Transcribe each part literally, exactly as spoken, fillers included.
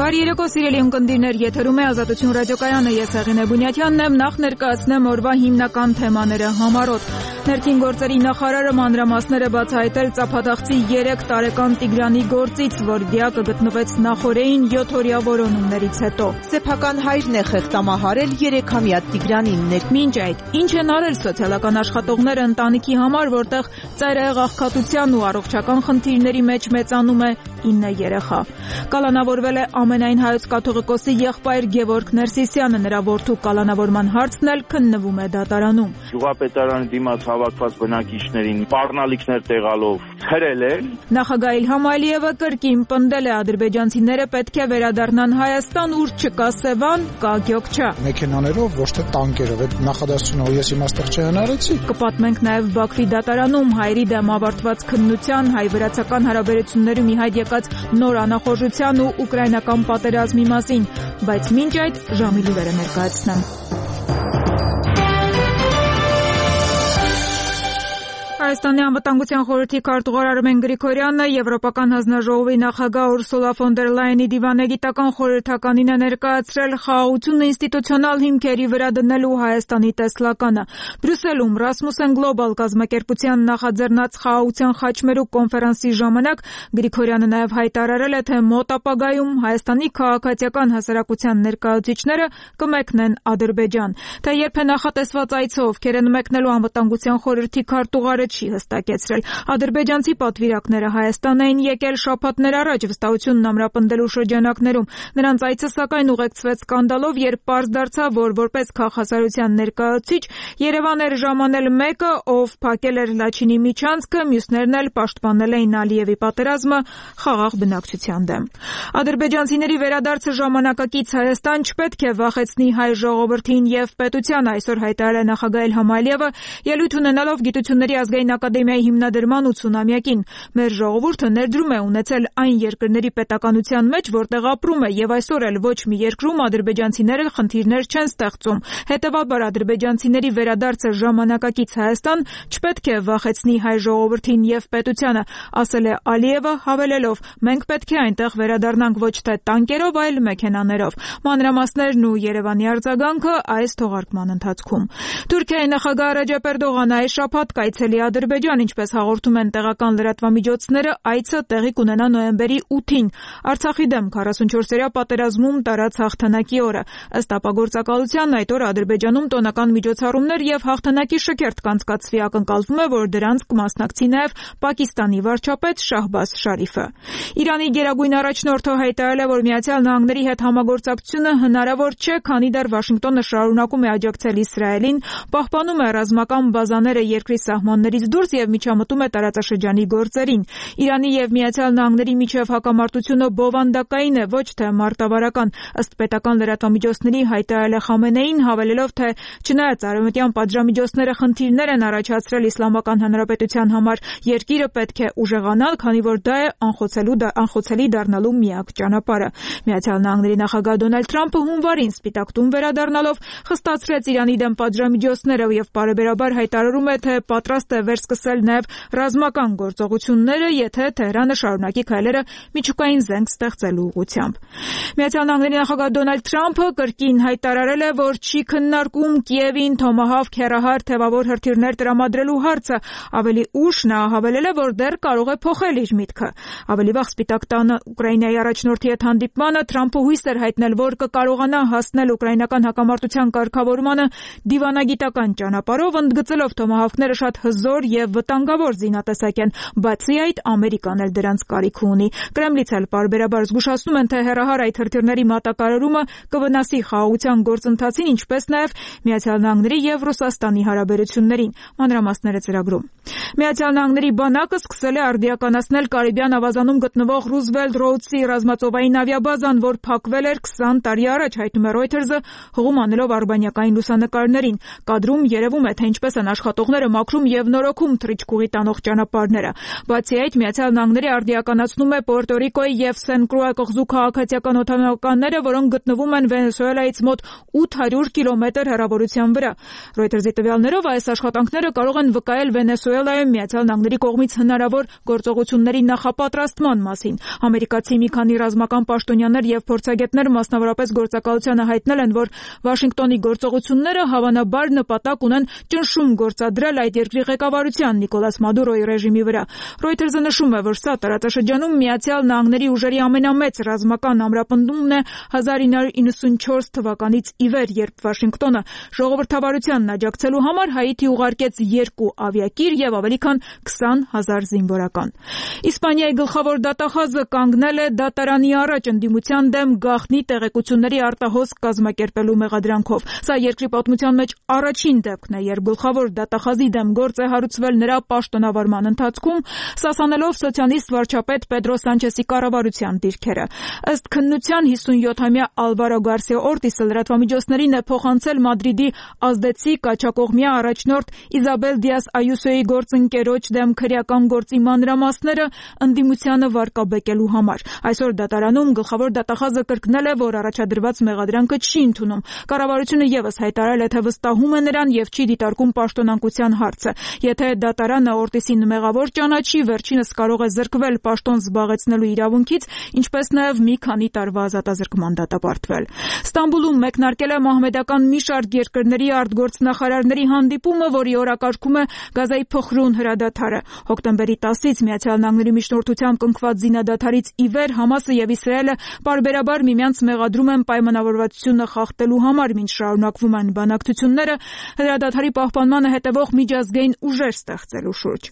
Բարի երեկո, սիրելի ունկնդիրներ, եթերում է Ազատություն ռադիոկայանը, ես Հեղինե Բունյաթյանն եմ, նախ ներկայացնեմ օրվա հիմնական թեմաները համառոտ։ Ներքին գործերի նախարարը մանրամասներ է բացահայտել ծափադախցի երեք տարեկան Տիգրանի գործից, որ դիակը գտնվեց նախօրեին յոթօրյա որոնումներից հետո։ Սեփական հայրն է խեղդամահարել երեքամյա Տիգրանին։ Մինչ այդ, ինչ են արել սոցիալական աշխատողները ընտանիքի համար, որտեղ ծայրահեղ աղքատության ու առողջական խնդիրների մեջ մեծանում է ինը երեխա։ Կալանավորվել է ամենայն հայոց կաթողիկոսի եղբայր Գևորգ Ներսիսյանը, նրա որդու կալանավորման հարցն էլ քննվում է դատարանում։ Գյուղապետարանի դիմաց հավաքված բնակիչներին սպառնալիքներ տեղալով խրել են։ Նախագահ Իլհամ Ալիևը կրկին պնդել է ադրբեջանցիները պետք է վերադառնան Հայաստան, ուր չկա Սևան, կա Գյոքչա։ Մեքենաներով, ոչ թե տանկերով, այդ նախադասությունը ես իմաստեղ չհնարեցի։ Կպատմենք նաև Բաքվի դատարանում հայերի դեմ ավարտված քննության, հայ-վրացական հարաբերությունների մի հայտ եկած նոր անախորժության ու ուկրաինական պատերազմի մասին, բայց մինչ այդ ժամի լուրերը ներկայացնեմ։ Հայաստանի անվտանգության խորհրդի քարտուղար Արմեն Գրիգորյանը Եվրոպական հանձնաժողովի նախագահ Ուրսուլա ֆոն դեր Լայենի դիվանագիտական խորհրդականին է ներկայացրել խաղաղություն ինստիտուցիոնալ հիմքերի վրա դնելու Հայաստանի տեսլականը։ Բրյուսելում Rasmussen Global կազմակերպության նախաձեռնած խաղաղության խաչմերուկ կոնֆերանսի ժամանակ Գրիգորյանը նաև հայտարարել է, թե մոտ ապագայում Հայաստանի քաղաքացիական հասարակության ներկայացուցիչները կմեկնեն Ադրբեջան։ Թե երբ է նախատեսված այցը, ովքեր են մեկնելու անվտանգության խորհրդի քարտուղարը չի հստակեցրել։ Ադրբեջանցի պատվիրակները Հայաստան էին եկել շաբաթներ առաջ վստահությունն ամրապնդելու շրջանակներում։ Նրանց այցը սակայն ուղեկցվեց սկանդալով, երբ պարզ դարձավ, որ որպես քաղաքասարության ներկայացուցիչ Երևան էր ժամանել մեկը, ով փակել էր Լաչինի միջանցքը, մյուսներն էլ պաշտպանել էին Ալիևի պատերազմը խաղաղ բնակչության դեմ։ Ադրբեջանցիների վերադարձը ժամանակակից Հայաստան չպետք է վախեցնի հայ ժողովրդին եւ պետությանը, այսօր հայտարարել է նախագահ Իլհամ Ալիևը, ելույթ ունենալով Գիտությունների ազգային ակադեմիայի հիմնադրման ութսունամյակին։ Մեր ժողովուրդը ներդրում է ունեցել այն երկրների պետականության մեջ, որտեղ ապրում է, եւ այսօր էլ ոչ մի երկրում ադրբեջանցիները խնդիրներ չեն ստեղծում։ Հետևաբար ադրբեջանցիների վերադարձը ժամանակակից Հայաստան չպետք է վախեցնի հայ ժողովրդին եւ պետությանը, ասել է Ալիևը, հավելելով. մենք պետք է այնտեղ վերադառնանք ոչ թե տանկերով, այլ մեքենաներով։ Մանրամասներն ու Երևանի արձագանքը այս թողարկման ընթացքում։ Թուրքիայի նախագահ Ռեջեփ Էրդողանը այս շաբաթ կայցելի Ադրբեջան, ինչպես հաղորդում են տեղական լրատվամիջոցները, այցը տեղի կունենա նոյեմբերի ութին, Արցախի դեմ քառասունչորսերյա պատերազմում տարած հաղթանակի օրը։ Ըստ ապագործակալության այդ օրը Ադրբեջանում տոնական միջոցառումներ եւ հաղթանակի շքերթ կանցկացվի, ակնկալվում է, որ դրանց կմասնակցի նաեւ Պակիստանի վարչապետ Շահբազ Շարիֆը։ Իրանի գերագույն առաջնորդը հայտարարել է, որ Միացյալ Նահանգների հետ համագործակցությունը հնարավոր չէ, քանի դեռ Վաշինգտոնը շարունակում է աջակցել Իսրայելին, պահպանում է ռազմական բազաները երկրի սահմաններից դուրս եւ միջամտում է տարածաշրջանի գործերին։ Իրանի եւ Միացյալ Նահանգների միջև հակամարտությունը բովանդակային է, ոչ թե մարտավարական, ըստ պետական լրատվամիջոցների հայտարարել է Խամենեին, հավելելով, թե չնայած արևմտյան պատժամիջոցները խնդիրներ են առաջացրել Իսլամական Հանրապետության համար, երկիրը պետք է ուժեղանալ, քանի որ դա է անխոցելու անխոցելի դառնալու միակ ճանապարհը։ Միացյալ Նահանգների նախագահ Դոնալդ Թրամփը հունվարին Սպիտակ տուն վերադառնալով խստացրեց Իրանի դեմ պատժամիջոցները եւ բարեբերաբար հայտարարում է, թե պատրաստ է վերսկսել նաև ռազմական գործողությունները, եթե Թեհրանը շարունակի քայլերը միջուկային զենք ստեղծելու ուղղությամբ։ Միացյալ Նահանգների նախագահ Դոնալդ Թրամփը կրկին հայտարարել է, որ չի քննարկում Կիևին Թոմահավք հեռահար թևավոր հրթիռներ տրամադրելու հարցը։ Ավելի ուշ նա հավելել է, որ դեռ կարող է փոխել իր միտքը։ Ավելի վաղ Սպիտակ տանը Ուկրաինայի առաջնորդի հետ հանդիպմանը Թրամփը հույս էր հայտնել, որ կկարողանա հասնել ուկրաինական հակամարտության կարգավորմանը դիվանագիտական ճանապարհով, ընդգծելով Թոմահավքները շատ հզոր եւ վտանգավոր զինատեսակ են, բացի այդ Ամերիկան էլ դրանց կարիք ունի։ Կրեմլից էլ պարբերաբար զգուշացնում են, թե հեռահար այդ հրթիռների մատակարարումը կվնասի խաղաղության գործընթացին, ինչպես նաեւ Միացյալ Նահանգների եւ Ռուսաստանի հարաբերություններին։ Մանրամասները ծրագրում։ Միացյալ Նահանգների բանակը սկսել է արդիականացնել Կարիբյան ավազանում գտնվող Ռուզվելտ Ռոուդսի ռազմածովային ավիաբազան, որ փակվել էր քսան տարի առաջ, հայտնում է Reuters-ը, հղում անելով արբանյակային լուսանկարներին։ Կադրում երևում է, թե ինչպես են աշխատողները մաքրում եւ նորոգում բորոքում թռիչքուղի տանող ճանապարհները։ Բացի այդ, Միացյալ Նահանգները արդիականացնում է Պուերտո Ռիկոյի եւ Սեն Կրուա կղզու քաղաքացիական օդանավականները, որոնք գտնվում են Վենեսուելայից մոտ ութ հարյուր կիլոմետր հեռավորության վրա։ Reuters-ի տվյալներով այս աշխատանքները կարող են վկայել Վենեսուելայում Միացյալ Նահանգների կողմից հնարավոր գործողությունների նախապատրաստման մասին։ Ամերիկացի մի քանի ռազմական պաշտոնյաներ եւ փորձագետներ մասնավորապես գործակալությանը հայտնել են, որ Վաշինգտոնի գործողությունները հավանաբար նպատակ ունեն ճնշում գործադրել այդ երկրի ղեկավարության Նիկոլաս Մադուրոյի ռեժիմի վրա։ Reuters-ը նշում է, որ սա տարածաշրջանում Միացյալ Նահանգների ուժերի ամենամեծ ռազմական ամրապնդումն է հազար ինը հարյուր իննսունչորս թվականից ի վեր, երբ Վաշինգտոնը ժողովրդավարությանն աջակցելու համար Հայիթի ուղարկեց երկու ավիակիր եւ ավելի քան քսան հազար զինվորական։ Իսպանիայի գլխավոր դատախազը կանգնել է դատարանի առաջ ընդդիմության դեմ գաղտնի տեղեկությունների արտահոսք կազմակերպելու մեղադրանքով։ Սա երկրի պատմության մեջ առաջին դեպքն է, երբ գլխավոր դատախազի դեմ գործ է հարուցվել նրա պաշտոնավարման ընթացքում, սասանելով սոցիալիստ վարչապետ Պեդրո Սանչեսի կառավարության դիրքերը։ Ըստ քննության հիսունյոթամյա Ալվարո Գարսիա Օրտիսը լրատվամիջոցներին է փոխանցել Մադրիդի ազդեցիկ կաչակողմյա առաջնորդ Իզաբել Դիաս Այուսոյի գործընկերոջ դեմ քրեական գործի մանրամասները ընդդիմությանը վարկաբեկելու համար։ Այսօր դատարանում գլխավոր դատախազը կրկնել է, որ առաջադրված մեղադրանքը չի ընդունում։ Կառավարությունը եւս հայտարարել է, թե վստահում է նրան եւ չի դիտարկում պաշտոնանկության հարցը։ Եթե դատարանը Օրտիսին մեղավոր ճանաչի, վերջինս կարող է զրկվել պաշտոն զբաղեցնելու իրավունքից, ինչպես նաեւ մի քանի տարվա ազատազրկման դատապարտվել։ Ստամբուլում մեկնարկել է մահմեդական մի շարք երկրների արտգործնախարարների հանդիպումը, որի օրակարգում է Գազայի փխրուն հրադադարը։ Հոկտեմբերի տասից Միացյալ Նահանգների միջնորդությամբ կնքված զինադադարից ի վեր Համասը եւ Իսրայելը պարբերաբար միմյանց մեղադրում են պայմանավորվածությունը խախտելու համար, մինչ շարունակվում են բանակցությունները հրադադարի պահպանմանը հետևող միջազգային ուժեր ստեղծելու շուրջ։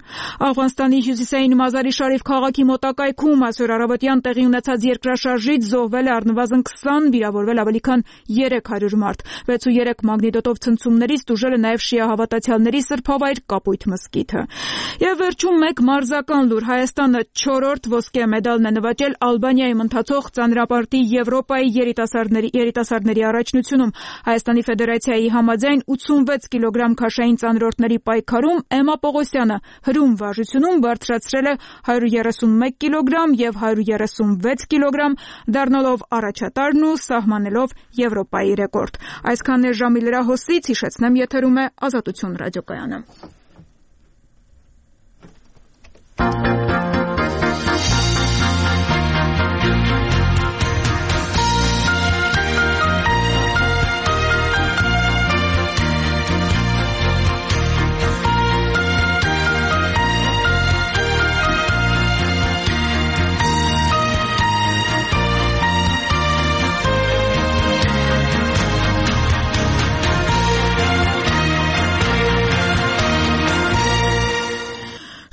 Աֆղանստանի հյուսիսային Մազարի Շարիֆ քաղաքի մոտակայքում այսօր առավոտյան տեղի ունեցած երկրաշարժից զոհվել է առնվազն քսան, վիրավորվել ավելի քան երեք հարյուր մարդ։ վեց ու երեք մագնիտոդով ցնցումներից տուժել է նաեւ շիա հավատացյալների սրբավայր Կապույտ մզկիթը։ Եվ վերջում մեկ մարզական լուր. Հայաստանը չորրորդ ոսկե մեդալն է նվաճել Ալբանիայում ընթացող ծանրապարտի Եվրոպայի երիտասարդների երիտասարդների առաջնությունում։ Հայաստանի Ֆեդերացիայի համաձայն ութսունվեց կիլոգրամ քաշային ծանրորդների պայքարում Էմմա Պողոսյանը հրում վարժությունում բարձրացրել է հարյուր երեսունմեկ կիլոգրամ եւ հարյուր երեսունվեց կիլոգրամ, դառնալով առաջատարն ու սահմանելով Եվրոպայի ռեկորդ։ Այսքանն է ժամի լրահոսից, հիշեցնեմ, եթերում է Ազատություն ռադիոկայանը։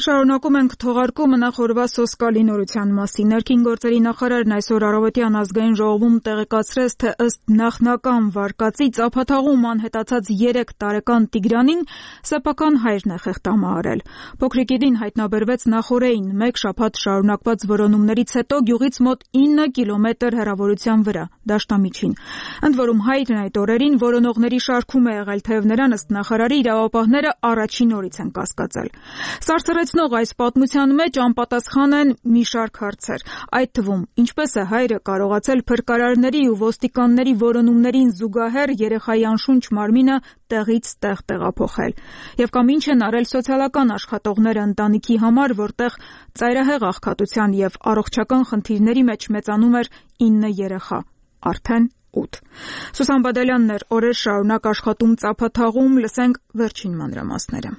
Շարունակում ենք թողարկումը նախորդ սոսկալի նորության մասին։ Ներքին գործերի նախարարն այսօր առավոտյան ազգային ժողովում տեղեկացրեց, թե ըստ նախնական վարկածի ծափաթաղում անհետացած երեք տարեկան Տիգրանին սեփական հայրն է խեղդամահարել։ Փոքրիկին հայտնաբերվեց նախօրեին մեկ շաբաթ շարունակված որոնումներից հետո գյուղից մոտ ինը կիլոմետր հեռավորության վրա, դաշտամիջին։ Ընդ որում հայրն այդ օրերին որոնողների շարքում է եղել, թեև նրան ըստ նախարարի իրավապահները առաջին օրից են կասկածել։ Սարսռեցնող այս պատմության մեջ անպատասխան են մի շարք հարցեր, այդ թվում ինչպես է հայրը կարողացել փրկարարների ու ոստիկանների որոնումներին զուգահեռ երեխայի անշունչ մարմինը տեղից տեղ տեղափոխել, եւ կամ ինչ են արել սոցիալական աշխատողները ընտանիքի համար, որտեղ ծայրահեղ աղքատության եւ առողջական խնդիրների մեջ մեծանում էր ինը երեխա, արդեն ութ։ Սուսան Բադալյանն էր օրեր շարունակ աշխատում ծափաթաղում, լսենք վերջին մանրամասները։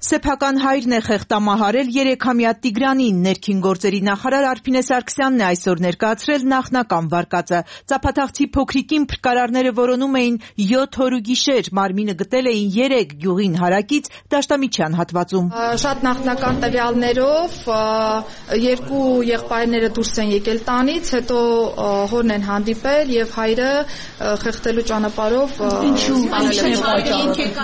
Սեփական հայրն է խեղդամահարել երեքամյա Տիգրանին։ Ներքին գործերի նախարար Արփինե Սարգսյանն է այսօր ներկայացրել նախնական վարկածը։ Ծափաթաղցի փոքրիկին փրկարարները որոնում էին յոթ օր ու գիշեր, մարմինը գտել էին երեք գյուղին հարակից դաշտամիջյան հատվածում։ Շատ նախնական տվյալներով երկու եղբայրները դուրս են եկել տանից, հետո հորն են հանդիպել եւ հայրը խեղդելու ճանապարհով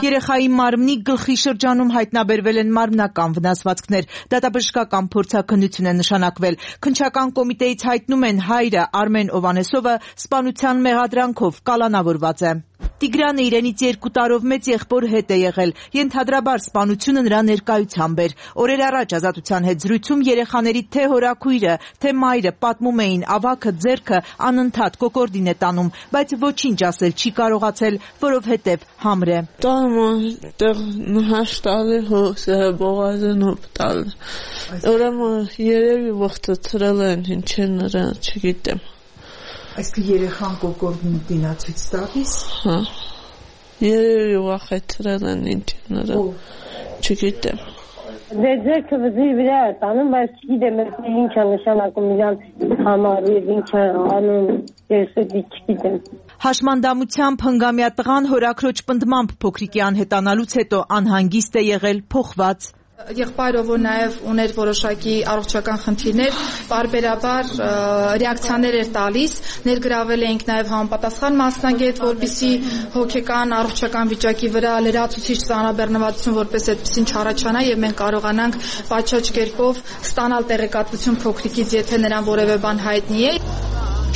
երեխայի մարմնի գլխի շրջանում հայտնաբերվել բերվել են մարմնական վնասվածքներ։ Դատաբժշկական փորձաքննություն է նշանակվել։ Քննչական կոմիտեից հայտնում են հայրը Արմեն Օվանեսովը սպանության մեղադրանքով կալանավորված է։ Տիգրանը իրենից երկու տարով մեծ եղբոր հետ է եղել, ենթադրաբար սպանությունը նրա ներկայությամբ էր։ Օրեր առաջ Ազատության հետ զրույցում երեխաների թե հորաքույրը, թե մայրը պատմում էին ավագը ձեռքը անընդհատ կոկորդին է տանում, բայց ոչինչ ասել չի կարողացել, որովհետև համր է։ Ուրեմն երևի ողջացրել են, ինչ են նրան, չգիտեմ։ Այսինքն երեխան կոկորդին դինացույց տալիս։ Հա։ Երևի վախեցրել են, ինչ են նրան, չգիտեմ։ Դե ձերքը վզի վրա է տանում, բայց չգիտեմ ինչ է նշանակում իրան համար եւ ինչ է անում, ես չգիտեմ։ Հաշմանդամությամբ հնգամյա տղան հորաքրոջ պնդմամբ փոքրիկի անհետանալուց հետո անհանգիստ է եղել, փոխված։ Եղբայրը, որ նաև ուներ որոշակի առողջական խնդիրներ, բարբերաբար ռեակցիաներ էր տալիս, ներգրավել էինք նաև համապատասխան մասնագետ, որպեսզի հոգեկան առողջական վիճակի վրա լրացուցիչ ծանրաբեռնվածություն որպես այդպեսին չառաջանա եւ մենք կարողանանք պատշաճ կերպով ստանալ տեղեկատվություն փոքրիկից, եթե նրան որևէ բան հայտնի է։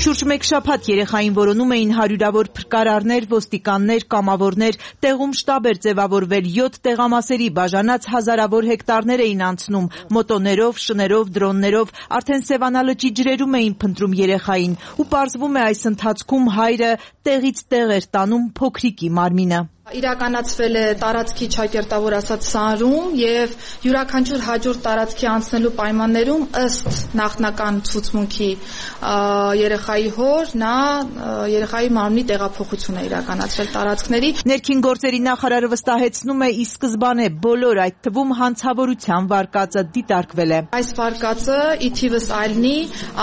Շուրջ մեկ շաբաթ երեխային որոնում էին հարյուրավոր փրկարարներ, ոստիկաններ, կամավորներ, տեղում շտաբ էր ձևավորվել, յոթ տեղամասերի բաժանած հազարավոր հեկտարներ էին անցնում, մոտոներով, շներով, դրոններով, արդեն Սևանա լճի ջրերում էին փնտրում երեխային, ու պարզվում է այս ընթացքում հայրը տեղից տեղ էր տանում փոքրիկի մարմինը։ Իրականացվել է տարածքի ճակերտավոր ասած սարում եւ յուրաքանչյուր հաջորդ տարածքի անցնելու պայմաններում ըստ նախնական ցուցմունքի երեխայի հոր նա երեխայի մարմնի տեղափոխություն է իրականացրել տարածքների։ Ներքին գործերի նախարարը վստահեցնում է ի սկզբանե բոլոր այդ թվում հանցավորության վարկածը դիտարկվել է։ Այս վարկածը ի թիվս այլնի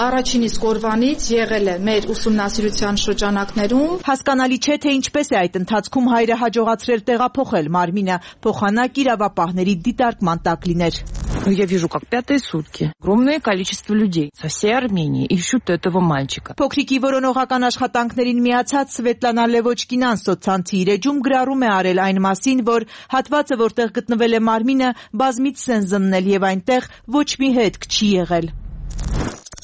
առաջին իսկ օրվանից եղել է մեր ուսումնասիրության շրջանակներում։ Հասկանալի չէ թե ինչպես է այդ ընթացքում հայրը հաջողացրել տեղափոխել մարմինը, փոխանակ իրավապահների դիտարկման տակ լիներ։ Я вижу, как пятые сутки. Огромное количество людей со всей Армении ищут этого мальчика. Փոքրիկի որոնողական աշխատանքներին միացած Սվետլանա Լևոչկինան սոցցանցի իր էջում գրառում է արել այն մասին, որ հատվածը, որտեղ գտնվել է մարմինը, բազմից են զննել եւ այնտեղ ոչ մի հետք չի եղել։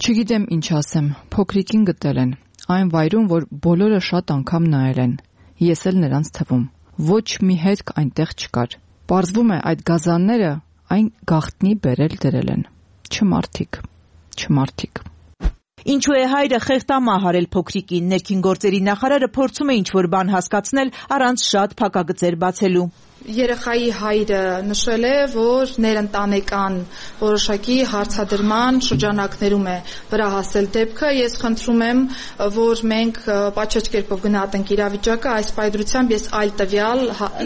Չգիտեմ ինչ ասեմ, փոքրիկին գտել են, այն վայրում, որ բոլորը շատ անգամ նայել են, ես էլ նրանց թվում, ոչ մի հետք այնտեղ չկար, պարզվում է այդ գազանները այն գաղտնի բերել դրել են, չմարդիկ, չմարդիկ։ Ինչու է հայրը խեղտամահ արել փոքրիկին, ներքին գործերի նախարարը փորձում է ինչ-որ բան հասկացնել առանց շատ փակագծեր բացելու։ Երեխայի հայրը նշել է, որ ներընտանեկան որոշակի հարցադրման շրջանակներում է վրա հասել դեպքը։ Ես խնդրում եմ, որ մենք պատշաճ կերպով գնահատենք իրավիճակը, այս պայծրությամբ ես այլ տվյալ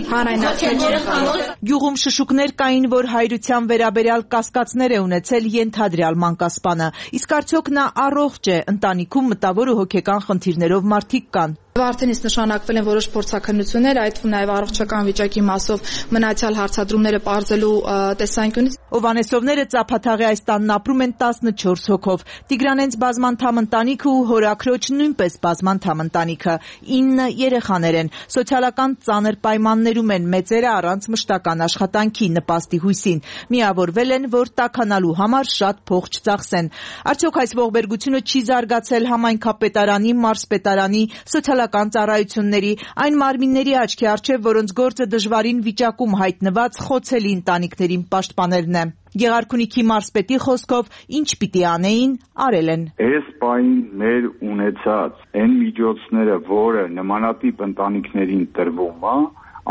հանրայնացնել չեմ կարող։ Գյուղում շշուկներ կային, որ հայրության վերաբերյալ կասկածներ է ունեցել ենթադրյալ մանկասպանը, իսկ արդյոք նա առողջ է, ընտանիքում մտավոր ու հոգեկան խնդիրներով մարդիկ կան։ Արդեն իսկ նշանակվել են որոշ փորձաքննություններ, այդ թվում նաև առողջական վիճակի մասով մնացյալ հարցադրումները պարզելու տեսանկյունից։ Հովանեսովները Ծափաթաղի այս տանն ապրում են տասնչորս հոգով։ Տիգրանենց բազմանդամ ընտանիքը ու հորաքրոջ նույնպես բազմանդամ ընտանիքը, ինը երեխաներ են, սոցիալական ծանր պայմաններում են, մեծերը առանց մշտական աշխատանքի նպաստի հույսին, միավորվել են, որ տաքանալու համար շատ փող չծախսեն։ Արդյոք այս ողբերգությունը չի զարգացել համայնքապետարանի, մարզպետարանի, սոցիալական ծառայությունների, այն մարմինների աչքի առջև, որոնց գործը դժվարին վիճակում հայտնված խոցելի ընտանիքներին պաշտպանելն է։ Գեղարքունիքի մարզպետի խոսքով ինչ պիտի անեին, արել են։ Այս պահին մեր ունեցած այն միջոցները, որը նմանատիպ ընտանիքներին տրվում է,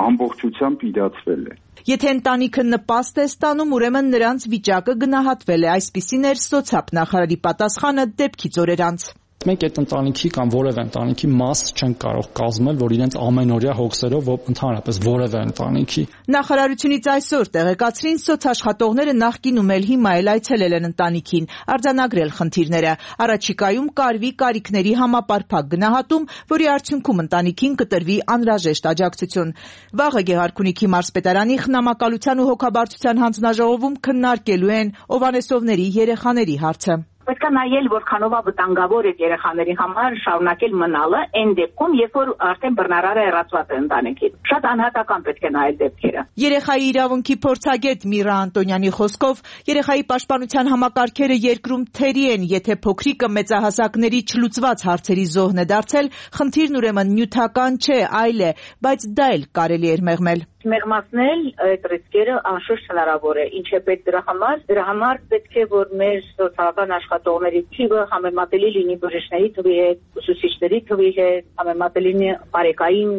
ամբողջությամբ իրացվել է։ Եթե ընտանիքը նպաստ է ստանում, ուրեմն նրանց վիճակը գնահատվել է, այսպիսին էր սոցիալ նախարարի պատասխանը դեպքից օրեր անց։ Մենք այդ ընտանիքի կամ որևէ ընտանիքի մաս չենք կարող կազմել, որ իրենց ամենօրյա հոգսերով ընդհանրապես որևէ ընտանիքի։ Նախարարությունից այսօր տեղեկացրին սոցաշխատողները նախկինում էլ հիմա էլ այցելել են ընտանիքին, արձանագրել խնդիրները։ Առաջիկայում կարվի կարիքների համապարփակ գնահատում, որի արդյունքում ընտանիքին կտրվի անհրաժեշտ աջակցություն։ Վաղը Գեղարքունիքի մարզպետարանի խնամակալության ու հոգաբարձության հանձնաժողովում քննարկելու են Հովանեսովների երեխաների հարցը։ պետք է նայել որքանով է վտանգավոր այդ երեխաների համար շարունակել մնալը այն դեպքում, երբ որ արդեն բռնարարը հեռացված է ընտանիքից։ Շատ անհատական պետք է նայել դեպքերը։ Երեխայի իրավունքի փորձագետ Միրա Անտոնյանի խոսքով երեխայի պաշտպանության համակարգերը երկրում թերի են, եթե փոքրիկը մեծահասակների չլուծված հարցերի զոհն է դարձել, խնդիրն ուրեմն նյութական չէ, այլ է, բայց դա էլ կարելի էր մեղմել։ Մեղմացնել այդ ռիսկերը անշուշտ հնարավոր է։ Ինչ է պետք դրա համար։ Դրա համար պետք է որ մեր սոցիալական աշխատողների թիվը համեմատելի լինի բժիշկների թվի հետ, ուսուցիչների թվի հետ, համեմատելի լինի բարեկային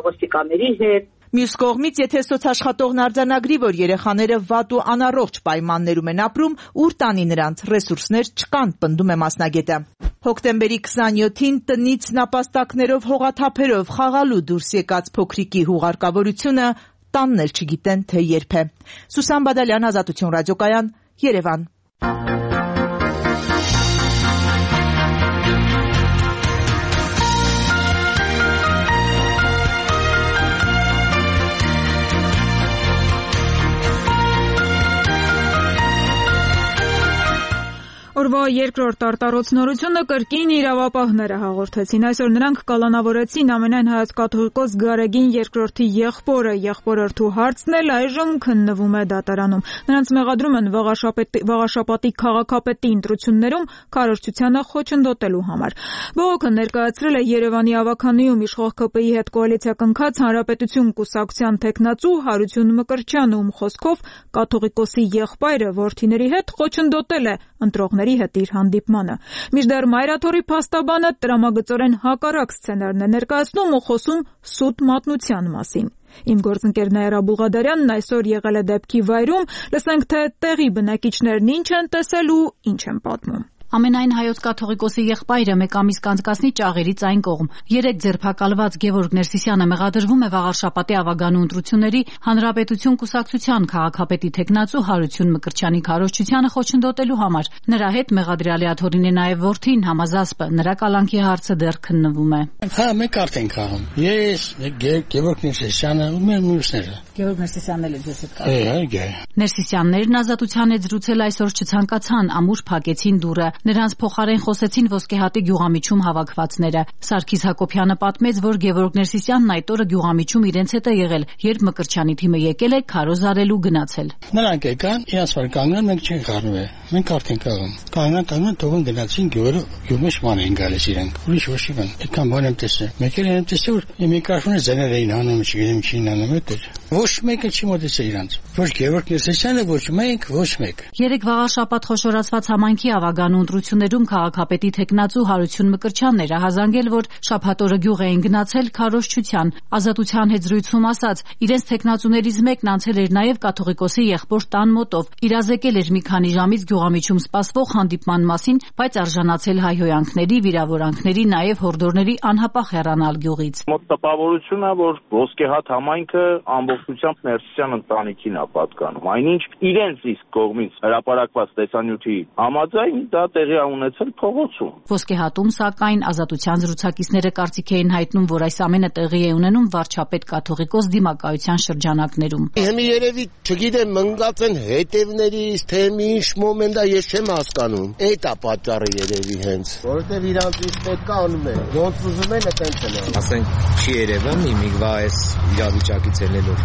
ոստիկանների հետ։ Մյուս կողմից, եթե սոցաշխատողն արձանագրի, որ երեխաները վատ ու անառողջ պայմաններում են ապրում, ուր տանի նրանց ռեսուրսներ չկան, պնդում է մասնագետը։ Հոկտեմբերի քսաներկուսին տնից նապաստակներով հողաթափերով խաղալու դուրս եկած փոքրիկի հուղարկավորությունը տանն էլ չգիտեն, թե երբ է։ Սուսան Բադալյան, Ազատություն ռադիոկայան, Երևան։ Օրվա երկրորդ արտառոց նորությունը կրկին իրավապահները հաղորդեցին։ Այսօր նրանք կալանավորեցին ամենայն հայոց կաթողիկոս Գարեգին երկրորդի եղբորը, եղբորորդու հարցն էլ այժմ քննվում է դատարանում։ Նրանց մեղադրում են Վաղաշապատի քաղաքապետի ընտրություններում քարոզչությանը խոչընդոտելու համար։ Բողոքը ներկայացրել է Երևանի ավականիում իշխող ԿՊ-ի հետ կոալիցիա կնքած Հանրապետություն կուսակցության թեկնածու Հարություն Մկրտչյանը, ում խոսքով կաթողիկոսի եղբայրը որդիների հետ խոչընդոտել է ընտրողների հետ իր հանդիպմանը։ Մինչդեռ Մայրաթորի փաստաբանը տրամագծորեն հակառակ սցենարն է ներկայացնում ու խոսում սուտ մատնության մասին։ Իմ գործընկեր Նաիրա Բուղադարյանն այսօր եղել է դեպքի վայրում, լսենք, թե տեղի բնակիչներն ինչ են տեսել ու ինչ են պատմում։ Ամենայն հայոց կաթողիկոսի եղբայրը մեկ ամիս կանցկացնի ճաղերից այն կողմ։ Երեք ձերբակալված Գևորգ Ներսիսյանը մեղադրվում է Վաղարշապատի ավագանու ընտրությունների Հանրապետություն կուսակցության քաղաքապետի թեկնածու Հարություն Մկրտչյանի քարոզչությանը խոչընդոտելու համար։ Նրա հետ մեղադրյալի աթոռին է նաև որդին Համազասպը, նրա կալանքի հարցը դեռ քննվում է։ Հա, մեկ կարտ ենք անում։ Ես, Գևորգ Ներսիսյանը ու մեր մյուսները։ Գևորգ Ներսիսյանն էլ է ձեզ հետ կապ։ Այո, Ներսիսյաններն ազատության հետ զրուցել այսօր չցանկացան, ամուր փակեցին դուռը։ Նրանց փոխարեն խոսեցին Ոսկեհատի գյուղամիջում հավաքվածները։ Սարգիս Հակոբյանը պատմեց, որ Գևորգ Ներսիսյանն այդ օրը գյուղամիջում իրենց հետ է եղել, երբ Մկրտչյանի թիմը եկել է քարոզ արելու գնացել։ Նրանք եկան, իրաց վար կանգնան, մենք չենք խառնվել։ Մենք արդեն կաղում։ Կանգնան, կանգնան, թողին գնացին գյուղերը, գյուղի շման էին գալիս իրենք։ Ուրիշ ոչինչ բան։ Այդքան բան եմ տեսել։ Մեկ էլ եմ տեսել, որ միկրոֆոնը ձեներ էին հանում, չգիտեմ ինչին անում էր։ Ոչ մեկը չի մոտեցել իրանց։ Ոչ Գևորգ Ներսիսյանը, ոչ մենք, ոչ մեկ։ Երեք Վաղաշապատ խոշորացված համայնքի ավագանու ընտրություններում քաղաքապետի թեկնածու Հարություն Մկրտչյանն էր ահազանգել, որ շաբաթօրը գյուղ էին գնացել քարոզչության։ Ազատության հետ զրույցում ասաց, իրենց թեկնածուներից մեկն անցել էր նաև կաթողիկոսի եղբոր տան մոտով, իրազեկել էր մի քանի ժամից գյուղամիջում սպասվող հանդիպման մասին, բայց արժանացել հայհոյանքների, վիրավորանքների, նաև հորդորների անհապաղ հեռանալ գյուղից։ Մոտ տպավորությունն է, որ Ոսկեհատ համայնքը ամբողջությամբ Ներսիսյան ընտանիքին է պատկանում։ Այնինչ իրենց իսկ կողմից հրապարակված տեսանյութի համաձայն դա տեղի է ունեցել փողոցում։ Ոսկեհատում, սակայն, Ազատության զրուցակիցները կարծիք էին հայտնում, որ այս ամենը տեղի է ունենում վարչապետ կաթողիկոս դիմակայության շրջանակներում։ Հիմա երևի, չգիտեմ, մնաց են հետևներից, թե ինչ մոմենտ է, ես չեմ հասկանում։ Այդ է պատճառը երևի հենց, որովհետև իրանց ինչ պետք է անում են, ոնց ուզում են այդպես են։ Ասենք չի երևում իմիգվա այս իրավիճակից ելնելով։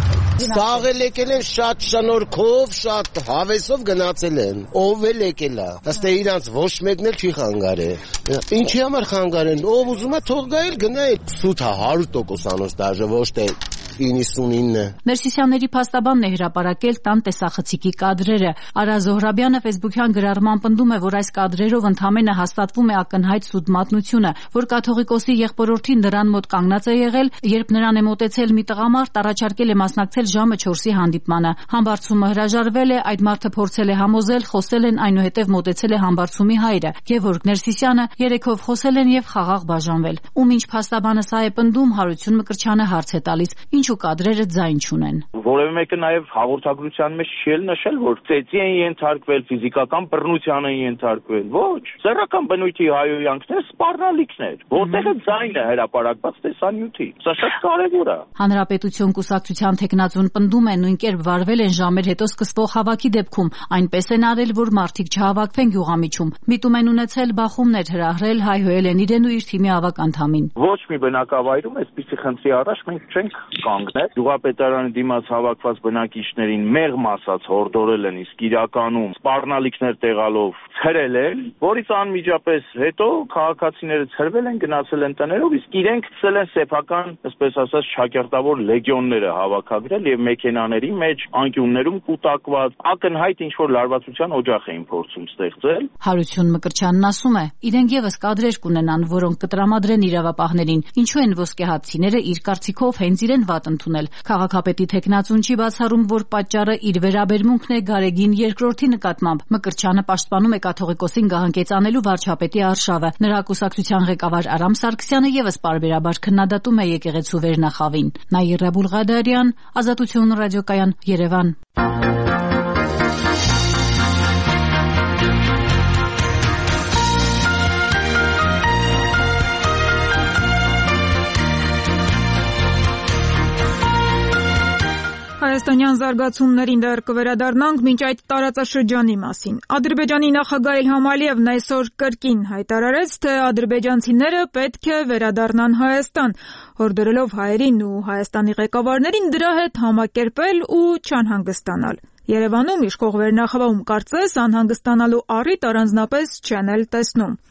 Սաղ էլ եկել են շատ շնորհքով, շատ հավեսով գնացել են։ Ով էլ եկել է։ Ըստ իրանց ոչ մեկն էլ չի խանգարել։ Ինչի համար խանգարեն։ Ով ուզում է թող գա էլ գնա։ Սուտ է հարյուր տոկոս անոց դաժե ոչ թե իննսունինը։ Ներսիսյանների փաստաբանն է հրապարակել տան տեսախցիկի կադրերը։ Արա Զոհրաբյանը Facebook-յան գրառման պնդում է, որ այս կադրերով ընդամենը հաստատվում է ակնհայտ սուտ մատնությունը, որ կաթողիկոսի եղբորորդին նրան մոտ կանգնած է եղել, երբ նրան է մոտեցել մի տղամարդ, առաջարկել է մասնակցել ժամը չորսի հանդիպմանը։ Համբարձումը հրաժարվել է, այդ մարդը փորձել է համոզել, խոսել են, այնուհետև մոտեցել է համբարձումի հայրը։ Գևորգ Ներսիսյանը երեքով խոսել են եւ խաղաղ բաժանվել։ Ում ինչ փաստաբանը սա է պնդում, Հարություն Մկրտչյանը հարց է տալիս. ինչ ինչու կադրերը ձայն չունեն։ Որևէ մեկը նաև հաղորդագրության մեջ չի նշել, որ ծեծի են ենթարկվել, ֆիզիկական բռնության են ենթարկվել։ Ոչ, սեռական բնույթի հայոյանքներ սպառնալիքներ, որտեղ է ձայնը հրապարակված տեսանյութի։ Սա շատ կարևոր է։ Հանրապետություն կուսակցության թեկնածուն պնդում է նույն կերպ վարվել են ժամեր հետո սկսվող հավաքի դեպքում, այնպես են արել, որ մարդիկ չհավաքվեն գյուղամիջում։ Միտում են ունեցել բախումներ հրահրել, հայհոյել են իրեն ու իր թիմի ավակ անդամին։ Ոչ մի բնակավայրում այսպիսի խնդրի առաջ մենք չենք կանգնել։ Գյուղապետարանի դիմաց հավաքված բնակիչներին մեղմ ասած հորդորել են, իսկ իրականում սպառնալիքներ տեղալով ցրել են, որից անմիջապես հետո քաղաքացիները ցրվել են, գնացել են տներով, իսկ իրենք ցել են սեփական, այսպես ասած, շակերտավոր լեգիոնները հավաքագրել եւ մեքենաների մեջ անկյուններում կուտակված ակնհայտ ինչ որ լարվածության օջախ էին փորձում ստեղծել։ Հարություն Մկրտչյանն ասում է, իրենք եւս կադրեր կունենան, որոնք կտրամադրեն իրավապահներին, ինչու են ոսկեհատցիները իր կարծիքով հենց իրեն վատ ընդունել։ Քաղաքապետի թեկնածուն չի բացառում, որ պատճառը իր վերաբերմունքն է Գարեգին երկրորդի նկատմամբ։ Մկրտչյանը պաշտպանում է կաթողիկոսին գահանքեցանելու վարչապետի արշավը։ Նրա կուսակցության ղեկավար Արամ Սարգսյանը եւս պարբերաբար քննադատում է եկեղեցու վերնախավին։ Նաիրա Բուլղադարյան, Ազատություն ռադիոկայան, Երևան։ Հայաստանյան զարգացումներին դեռ կվերադառնանք, մինչ այդ տարածաշրջանի մասին։ Ադրբեջանի նախագահ Իլհամ Ալիևն այսօր կրկին հայտարարեց, թե ադրբեջանցիները պետք է վերադառնան Հայաստան, հորդորելով հայերին ու Հայաստանի ղեկավարներին դրա հետ համակերպել ու չանհանգստանալ։ Երևանում իշխող վերնախավում կարծես անհանգստանալու առիթ առանձնապես չեն էլ տեսնում։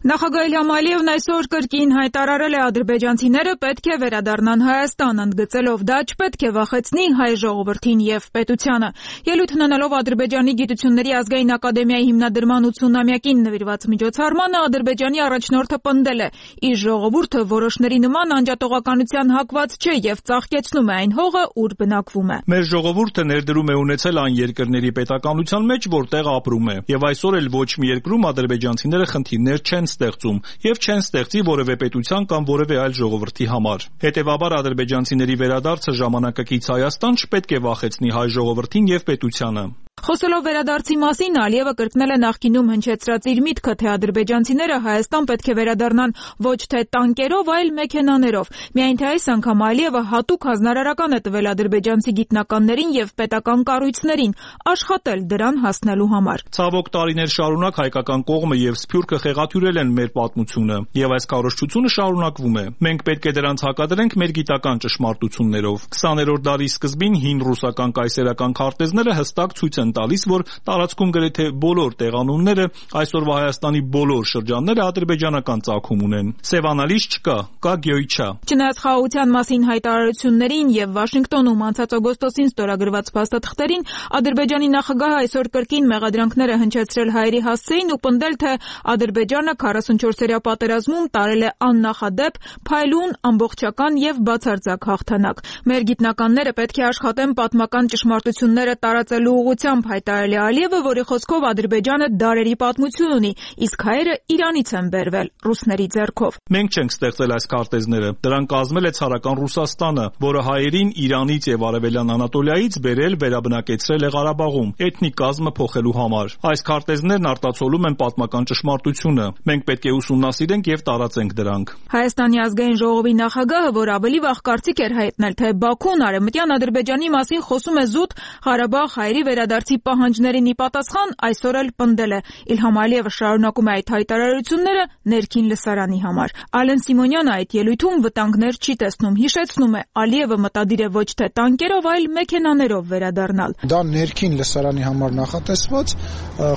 Նախագահ Իլհամ Ալիևն այսօր կրկին հայտարարել է ադրբեջանցիները պետք է վերադառնան Հայաստան, ընդգծելով դա չպետք է վախեցնի հայ ժողովրդին եւ պետությանը։ Ելույթ ունենալով Ադրբեջանի Գիտությունների ազգային ակադեմիայի հիմնադրման ութսունամյակին նվիրված միջոցառմանը Ադրբեջանի առաջնորդը պնդել է. իր ժողովուրդը որոշների նման անջատողականության հակված չէ եւ ծաղկեցնում է այն հողը, ուր բնակվում է։ Մեր ժողովուրդը ներդրում է ունեցել այն երկրների պետականության մեջ, որտեղ ապրում է, եւ այսօր էլ ոչ մի երկրում ադրբեջանցիները խնդիրներ չեն ստեղծում եւ չեն ստեղծի որևէ պետության կամ որևէ այլ ժողովրդի համար։ Հետևաբար ադրբեջանցիների վերադարձը ժամանակակից Հայաստան չպետք է վախեցնի հայ ժողովրդին եւ պետությանը։ Խոսելով վերադարձի մասին, Ալիևը կրկնել է նախկինում հնչեցրած իր միտքը, թե ադրբեջանցիները Հայաստան պետք է վերադառնան ոչ թե տանկերով, այլ մեքենաներով։ Միայն թե այս անգամ Ալիևը հատուկ հանրարարական է տվել ադրբեջանցի գիտնականներին եւ պետական կառույցներին աշխատել դրան հասնելու համար։ Ցավոք տարիներ շարունակ հայկական կողմը եւ Սփյուռքը խեղաթյուրել են մեր պատմությունը, եւ այս քարոզչությունը շարունակվում է։ Մենք պետք է դրանց հակադրենք մեր գիտական ճշմարտություններով։ քսաներորդ դարի սկզբին հին ռուսական կայսերական քարտեզները հստակ ցույց են տալիս, որ տարածքում գրեթե բոլոր տեղանունները, այսօրվա Հայաստանի բոլոր շրջանները ադրբեջանական ծագում ունեն։ Սևանալիս չկա, կա Գյոյչա։ Չնայած խաղաղության մասին հայտարարություններին եւ Վաշինգտոնում անցած օգոստոսին ստորագրված փաստաթղթերին, Ադրբեջանի նախագահը այսօր կրկին մեղադրանքները հնչեցրել հայերի հասցեին ու պնդել, թե Ադրբեջանը քառասունչորսերյա պատերազմում տարել է աննախադեպ, փայլուն, ամբողջական եւ բացարձակ հաղթանակ։ Մեր գիտնականները պետք է աշխատեն պատմական ճշմարտությունները տարածելու ուղղությամբ, հայտարարել է Ալիևը, որի խոսքով Ադրբեջանը դարերի պատմություն ունի, իսկ հայերը Իրանից են բերվել, ռուսների ձեռքով։ Մենք չենք ստեղծել այս քարտեզները, դրանք կազմել է ցարական Ռուսաստանը, որը հայերին Իրանից եւ Արևելյան Անատոլիայից բերել, վերաբնակեցրել է Ղարաբաղում, էթնիկ կազմը փոխելու համար։ Այս քարտեզներն արտացոլում են պատմական ճշմարտությունը։ Մենք պետք է ուսումնասիրենք եւ տարածենք դրանք։ Հայաստանի ազգային ժողովի նախագահը, որ ավելի վաղ կարծիք էր հայտնել, թե Բաքուն արևմտյան Ադրբեջանի մասին խոսում է զուտ Ղարաբաղ հայերի վերադարձի պահանջներին ի պատասխան, այսօր էլ պնդել է. Իլհամ Ալիևը շարունակում է այդ հայտարարությունները ներքին լսարանի համար։ Ալեն Սիմոնյանը այդ ելույթում վտանգներ չի տեսնում, հիշեցնում է, Ալիևը մտադիր է ոչ թե տանկերով, այլ մեքենաներով վերադառնալ։ Դա ներքին լսարանի համար նախատեսված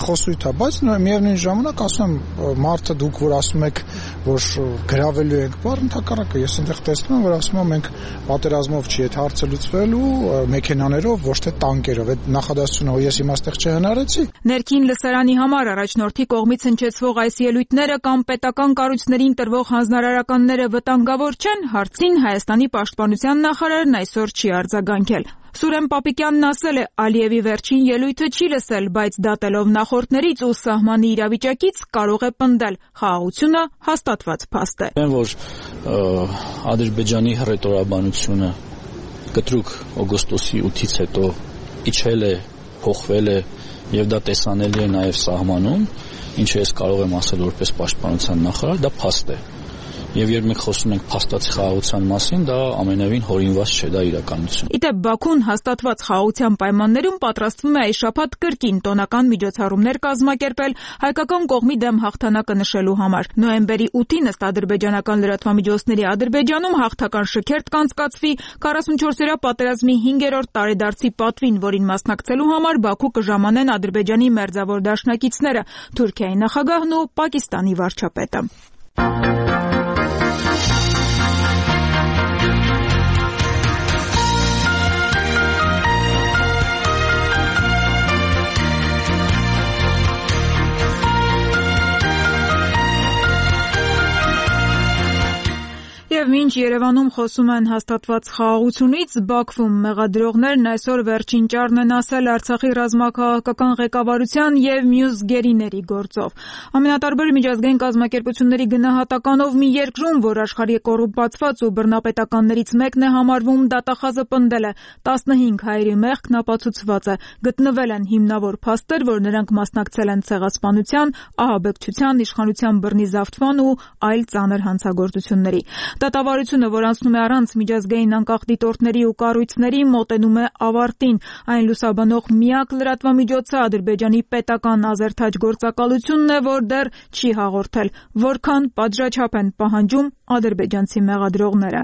խոսույթ է, բայց միևնույն ժամանակ ասում եմ, մարդը դուք որ ասում եք, որ գրավելու եք, բառ ընդհակառակը ես այնտեղ տեսնում եմ, որ ասում եմ մենք պատերազմով չի այդ հարցը լուծվելու մեքենաներով, ոչ թե տանկերով։ Այդ նախադասությունը ես իմ այստեղ չհնարեցի։ Ներքին լսարանի համար առաջնորդի կողմից հնչեցվող այս ելույթները կամ պետական կառույցներին տրվող հանձնարարականները վտանգավոր չեն, հարցին Հայաստանի պաշտպանության նախարարն այսօր չի արձագանքել։ Սուրեն Պապիկյանն ասել է, Ալիևի վերջին ելույթը չի լսել, բայց դատելով նախորդներից ու սահմանի իրավիճակից կարող է պնդել, խաղաղությունը հաստատված փաստ է։ Որ Ադրբեջանի հռետորաբանությունը կտրուկ օգոստոսի ութից հետո իջել է, փոխվել է եւ դա տեսանելի է նաեւ սահմանում, ինչը ես կարող եմ ասել որպես պաշտպանության նախարար, դա փաստ է։ Եվ երբ մենք խոսում ենք փաստացի խաղաղության մասին, դա ամենևին հորինված չէ, դա իրականություն։ Իդեպ Բաքուն հաստատված խաղաղության պայմաններում պատրաստվում է այս շաբաթ կրկին տոնական միջոցառումներ կազմակերպել հայկական կողմի դեմ հաղթանակը նշելու համար։ Նոյեմբերի ութին ըստ ադրբեջանական լրատվամիջոցների Ադրբեջանում հաղթական շքերթ կանցկացվի քառասունչորսօրյա պատերազմի հինգերորդ տարեդարձի պատվին, որին մասնակցելու համար Բաքու կժամանեն Ադրբեջանի մերձավոր դաշնակիցները՝ Թուրքիայի նախագահն ու Պակիստանի վարչապետը։ Եվ մինչ Երևանում խոսում են հաստատված խաղաղությունից, Բաքվում մեղադրողներն այսօր վերջին ճառն են ասել Արցախի ռազմաքաղաքական ղեկավարության եւ մյուս գերիների գործով։ Ամենատարբեր միջազգային կազմակերպությունների գնահատականով մի երկրում, որ աշխարհի կոռումպացված ու բռնապետականներից մեկն է համարվում, դատախազը պնդել է տասնհինգ հայերի մեղքն ապացուցված է։ Գտնվել են հիմնավոր փաստեր, որ նրանք մասնակցել են ցեղասպանության, ահաբեկչության, իշխանության բռնի զավթման ու այլ ծանր հանցագործությունների։ Դատավարությունը, որ անցնում է առանց միջազգային անկախ դիտորդների ու կառույցների, մոտենում է ավարտին։ Այն լուսաբանող միակ լրատվամիջոցը Ադրբեջանի պետական ազերթաջ գործակալությունն է, որ դեռ չի հաղորդել, որքան պատժաչափ են պահանջում ադրբեջանցի մեղադրողները։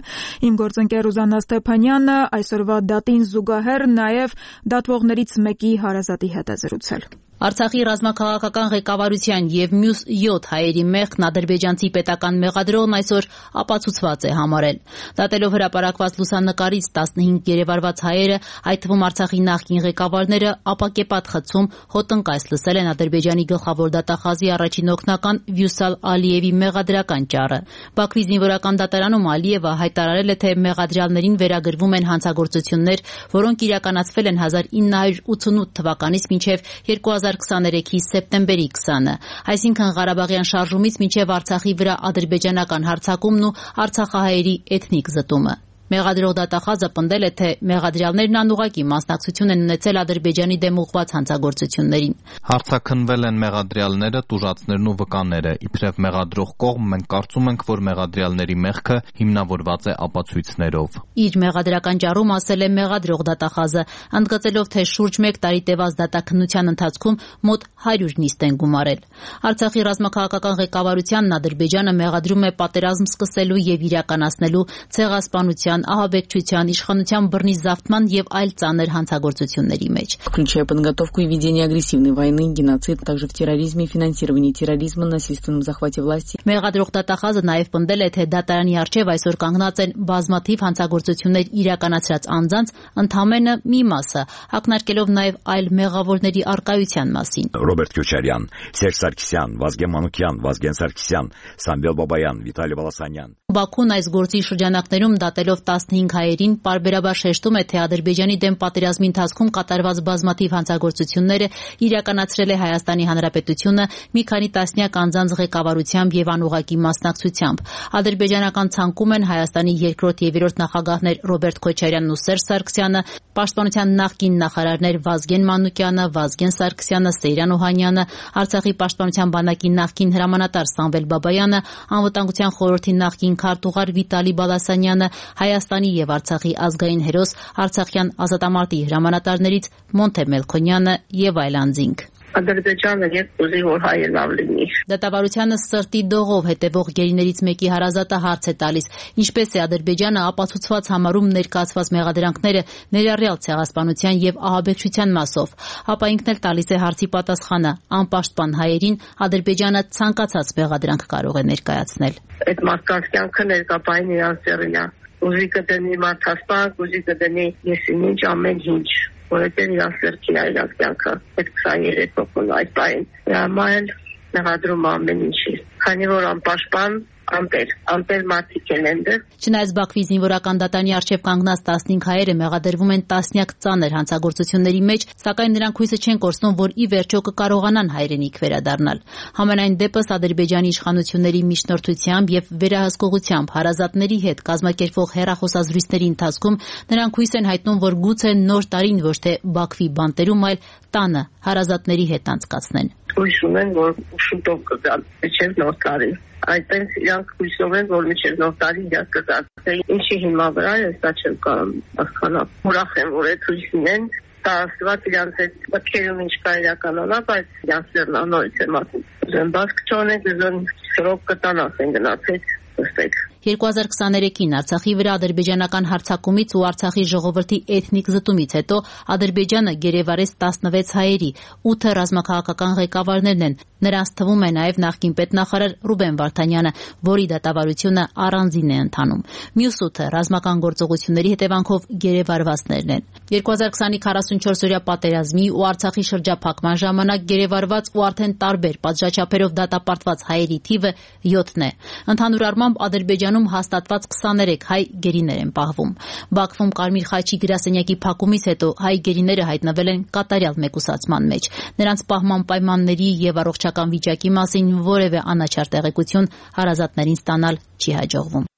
Իմ գործընկեր Ուզաննա Ստեփանյանը այսօրվա դատին զուգահեռ նաև դատվողներից մեկի հարազատի հետ է զրուցել։ Արցախի ռազմաքաղաքական ղեկավարության եւ մյուս յոթ հայերի մեղքն ադրբեջանցի պետական մեղադրողն այսօր ապացուցված է համարել։ Դատելով հրապարակված լուսանկարից տասնհինգ երևարված հայերը, այդ թվում Արցախի նախկին ղեկավարները, ապակեպատ խցում հոտնկայս լսել են Ադրբեջանի գլխավոր դատախազի առաջին օգնական Վյուսալ Ալիևի մեղադրական ճառը։ Բաքվի զինվորական դատարանում Ալիևը հայտարարել է, թե մեղադրյալներին վերագրվում են հանցագործություններ, որոնք իրականացվել են հազար ինը հարյուր ութանութ թվականից մինչև երկու հազար քսաներեքի սեպտեմբերի քսանը, այսինքն Ղարաբաղյան շարժումից մինչև Արցախի վրա ադրբեջանական հարձակումն ու արցախահայերի էթնիկ զտումը։ Մեղադրող դատախազը պնդել է, թե մեղադրյալներն անուղղակի մասնակցություն են ունեցել Ադրբեջանի դեմ ուղղված հանցագործություններին։ Հարձակնվել են մեղադրյալները, տուժածներն ու վկաները։ Իբրև մեղադրող կողմ մենք կարծում ենք, որ մեղադրյալների մեղքը հիմնավորված է ապացույցներով։ Իր մեղադրական ճառում ասել է մեղադրող դատախազը, ընդգծելով, թե շուրջ մեկ տարի տևած դատաքննության ընթացքում մոտ հարյուր նիստ են գումարել։ Արցախի ռազմաքաղաքական ղեկավարությանն Ադրբեջանը մեղադրում է պատերազմ սկսելու եւ իրականացնելու ցեղասպանության, ահաբեկչության, իշխանության բռնի զավթման եւ այլ ծանր հանցագործությունների մեջ, включая подготовку и ведение агрессивной войны, геноцид, также в терроризме, финансировании терроризма, насильственном захвате власти. Մեղադրող դատախազը նաեւ պնդել է, թե դատարանի առջեւ այսօր կանգնած են բազմաթիվ հանցագործություններ իրականացրած անձանց ընդամենը մի մասը, ակնարկելով նաեւ այլ մեղավորների առկայության մասին։ Ռոբերտ Քյոչարյան, Սերժ Սարգսյան, Վազգեն Մանուկյան, Վազգեն Սարգսյան, Սամվել Բաբայան, Վիտալի Բալասանյան։ Բաքուն այս գործի շրջանակներում դատելով տասնհինգ հայերին պարբերաբար շեշտում է, թե Ադրբեջանի դեմ պատերազմի ընթացքում կատարված բազմաթիվ հանցագործությունները իրականացրել է Հայաստանի Հանրապետությունը մի քանի տասնյակ անձանց ղեկավարությամբ եւ անուղղակի մասնակցությամբ։ Ադրբեջանական ցանկում են Հայաստանի երկրորդ եւ երրորդ նախագահներ Ռոբերտ Քոչարյանն ու Սերժ Սարգսյանը, պաշտպանության նախկին նախարարներ Վազգեն Մանուկյանը, Վազգեն Սարգսյանը, Սեյրան Օհանյանը, Արցախի պաշտպանության բանակի նախկին հրամանատար Սամվել Բաբայանը, անվտանգության խորհրդի նախկին քարտուղար Վիտալի Բալասանյանը, Հայաստանի եւ Արցախի ազգային հերոս Արցախյան ազատամարտի հրամանատարներից Մոնթե Մելքոնյանը եւ այլ անձինք։ Ադրբեջանը երբ ուզի որ հայը լավ լինի։ Դատավարությանը սրտի դողով հետևող գերիներից մեկի հարազատը հարց է տալիս, ինչպես է Ադրբեջանը ապացուցված համարում ներկայացված մեղադրանքները ներառյալ ցեղասպանության եւ ահաբեկչության մասով, ապա ինքն էլ տալիս է հարցի պատասխանը՝ անպաշտպան հայերին Ադրբեջանը ցանկացած մեղադրանք կարող է ներկայացնել։ Այդ մարդկանց կյանքը ներկայացին իրանց ծերին է։ Ուզի կդնի մարդասպան, ուզի կդնի եսին ինչ ամեն ինչ։ Որովհետև իրանց սրտին է իրանց կյանքը, այդ քսաներեք հոգուն այդ բային։ Հրամայել մեղադրում ամեն ինչի։ Քանի որ անպաշտպան անտեր, անտեր մարդիկ են այնտեղ։ Չնայած Բաքվի զինվորական դատարանի առջև կանգնած տասնհինգ հայերը մեղադրվում են տասնյակ ծանր հանցագործությունների մեջ, սակայն նրանք հույսը չեն կորցնում, որ ի վերջո կկարողանան հայրենիք վերադառնալ։ Համենայն դեպս Ադրբեջանի իշխանությունների միջնորդությամբ եւ վերահսկողությամբ հարազատների հետ կազմակերպվող հեռախոսազրույցների ընթացքում նրանք հույս են հայտնում, որ գուցե նոր տարին ոչ թե Բաքվի բանտերում, այլ տանը հարազատների հետ անցկացնեն։ Հույս ունեն, որ շուտով կգան մինչև նոր տարի։ Այդպես իրանք հույսով են, որ մինչև նոր տարի իրանք կգան։ Ինչի հիմա վրա է, սա չեմ կարող հասկանալ։ Ուրախ եմ, որ այդ հույսին են, դա աստված իրանք այդ մտքերում ինչ կա իրականանա, բայց իրանք նորից եմ ասում։ Ուզեմ բասկ չոնեք, ուզեմ սրոք կտան ասեն գնացեք, ըստեք։ երկու հազար քսաներեքին Արցախի վրա ադրբեջանական հարձակումից ու Արցախի ժողովրդի էթնիկ զտումից հետո Ադրբեջանը գերեվարեց տասնվեց հայերի, ութը ռազմաքաղաքական ղեկավարներն են, նրանց թվում է նաև նախկին պետնախարար Ռուբեն Վարդանյանը, որի դատավարությունը առանձին է ընթանում։ Մյուս ութը ռազմական գործողությունների հետևանքով գերեվարվածներն են։ երկու հազար քսանի քառասունչորսօրյա պատերազմի ու Արցախի շրջափակման ժամանակ գերեվարված ու արդեն տարբեր պատժաչափերով դատապարտված հայերի թիվը յոթն է։ Ընդհանուր առմամբ Ադրբեջանում հաստատված քսաներեք հայ գերիներ են պահվում։ Բաքվում Կարմիր խաչի գրասենյակի փակումից հետո հայ գերիները հայտնվել են կատարյալ մեկուսացման մեջ։ Նրանց պահման պայմանների եւ առողջական վիճակի մասին որևէ անաչառ տեղեկություն հարազատներին ստանալ չի հաջողվում։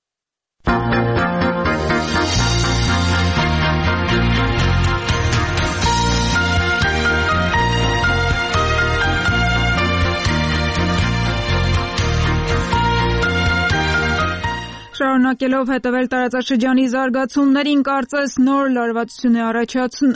Շարունակելով հետևել տարածաշրջանի զարգացումներին, կարծես նոր լարվածություն է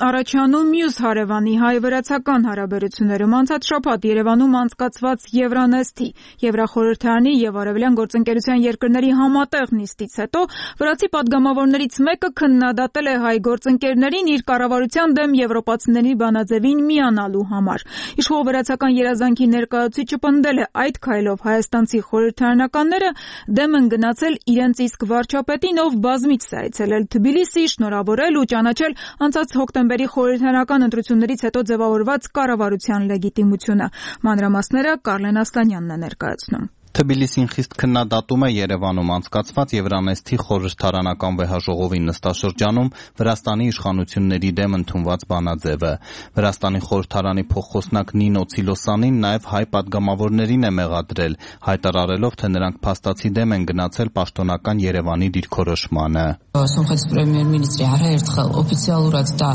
առաջանում մյուս հարևանի հայ-վրացական հարաբերություններում։ Անցած շաբաթ Երևանում անցկացված Եվրանեստի Եվրախորհրդարանի եւ Արևելյան գործընկերության երկրների համատեղ նիստից հետո վրացի падգամավորներից մեկը քննադատել է հայ գործընկերներին իր կառավարության դեմ եվրոպացիների բանաձևին միանալու համար։ Իշխող վրացական երազանքի ներկայացուցիչը պնդել է այդ քայլով հայաստանցի խորհրդարանականները դեմ են գնացել իրենց իսկ վարչապետին, ով բազմիցս է այցելել Թբիլիսի, շնորհավորել ու ճանաչել անցած հոկտեմբերի խորհրդարանական ընտրություններից հետո ձևավորված կառավարության լեգիտիմությունը։ Մանրամասները Կարլեն Ասլանյանն է ներկայացնում։ Թբիլիսին խիստ քննադատում է Երևանում անցկացված Եվրանեստի խորհրդարանական վեհաժողովի նստաշրջանում Վրաստանի իշխանությունների դեմ ընդունված բանաձևը։ Վրաստանի խորհրդարանի փոխխոսնակ Նինո Ցիլոսանին նաև հայ падգամավորներին է մեղադրել, հայտարարելով, թե նրանք փաստացի դեմ են գնացել պաշտոնական Երևանի դիրքորոշմանը։ Սոմխեթ պրեմիեր-մինիստրի հարցերթխել օֆիցիալურად դա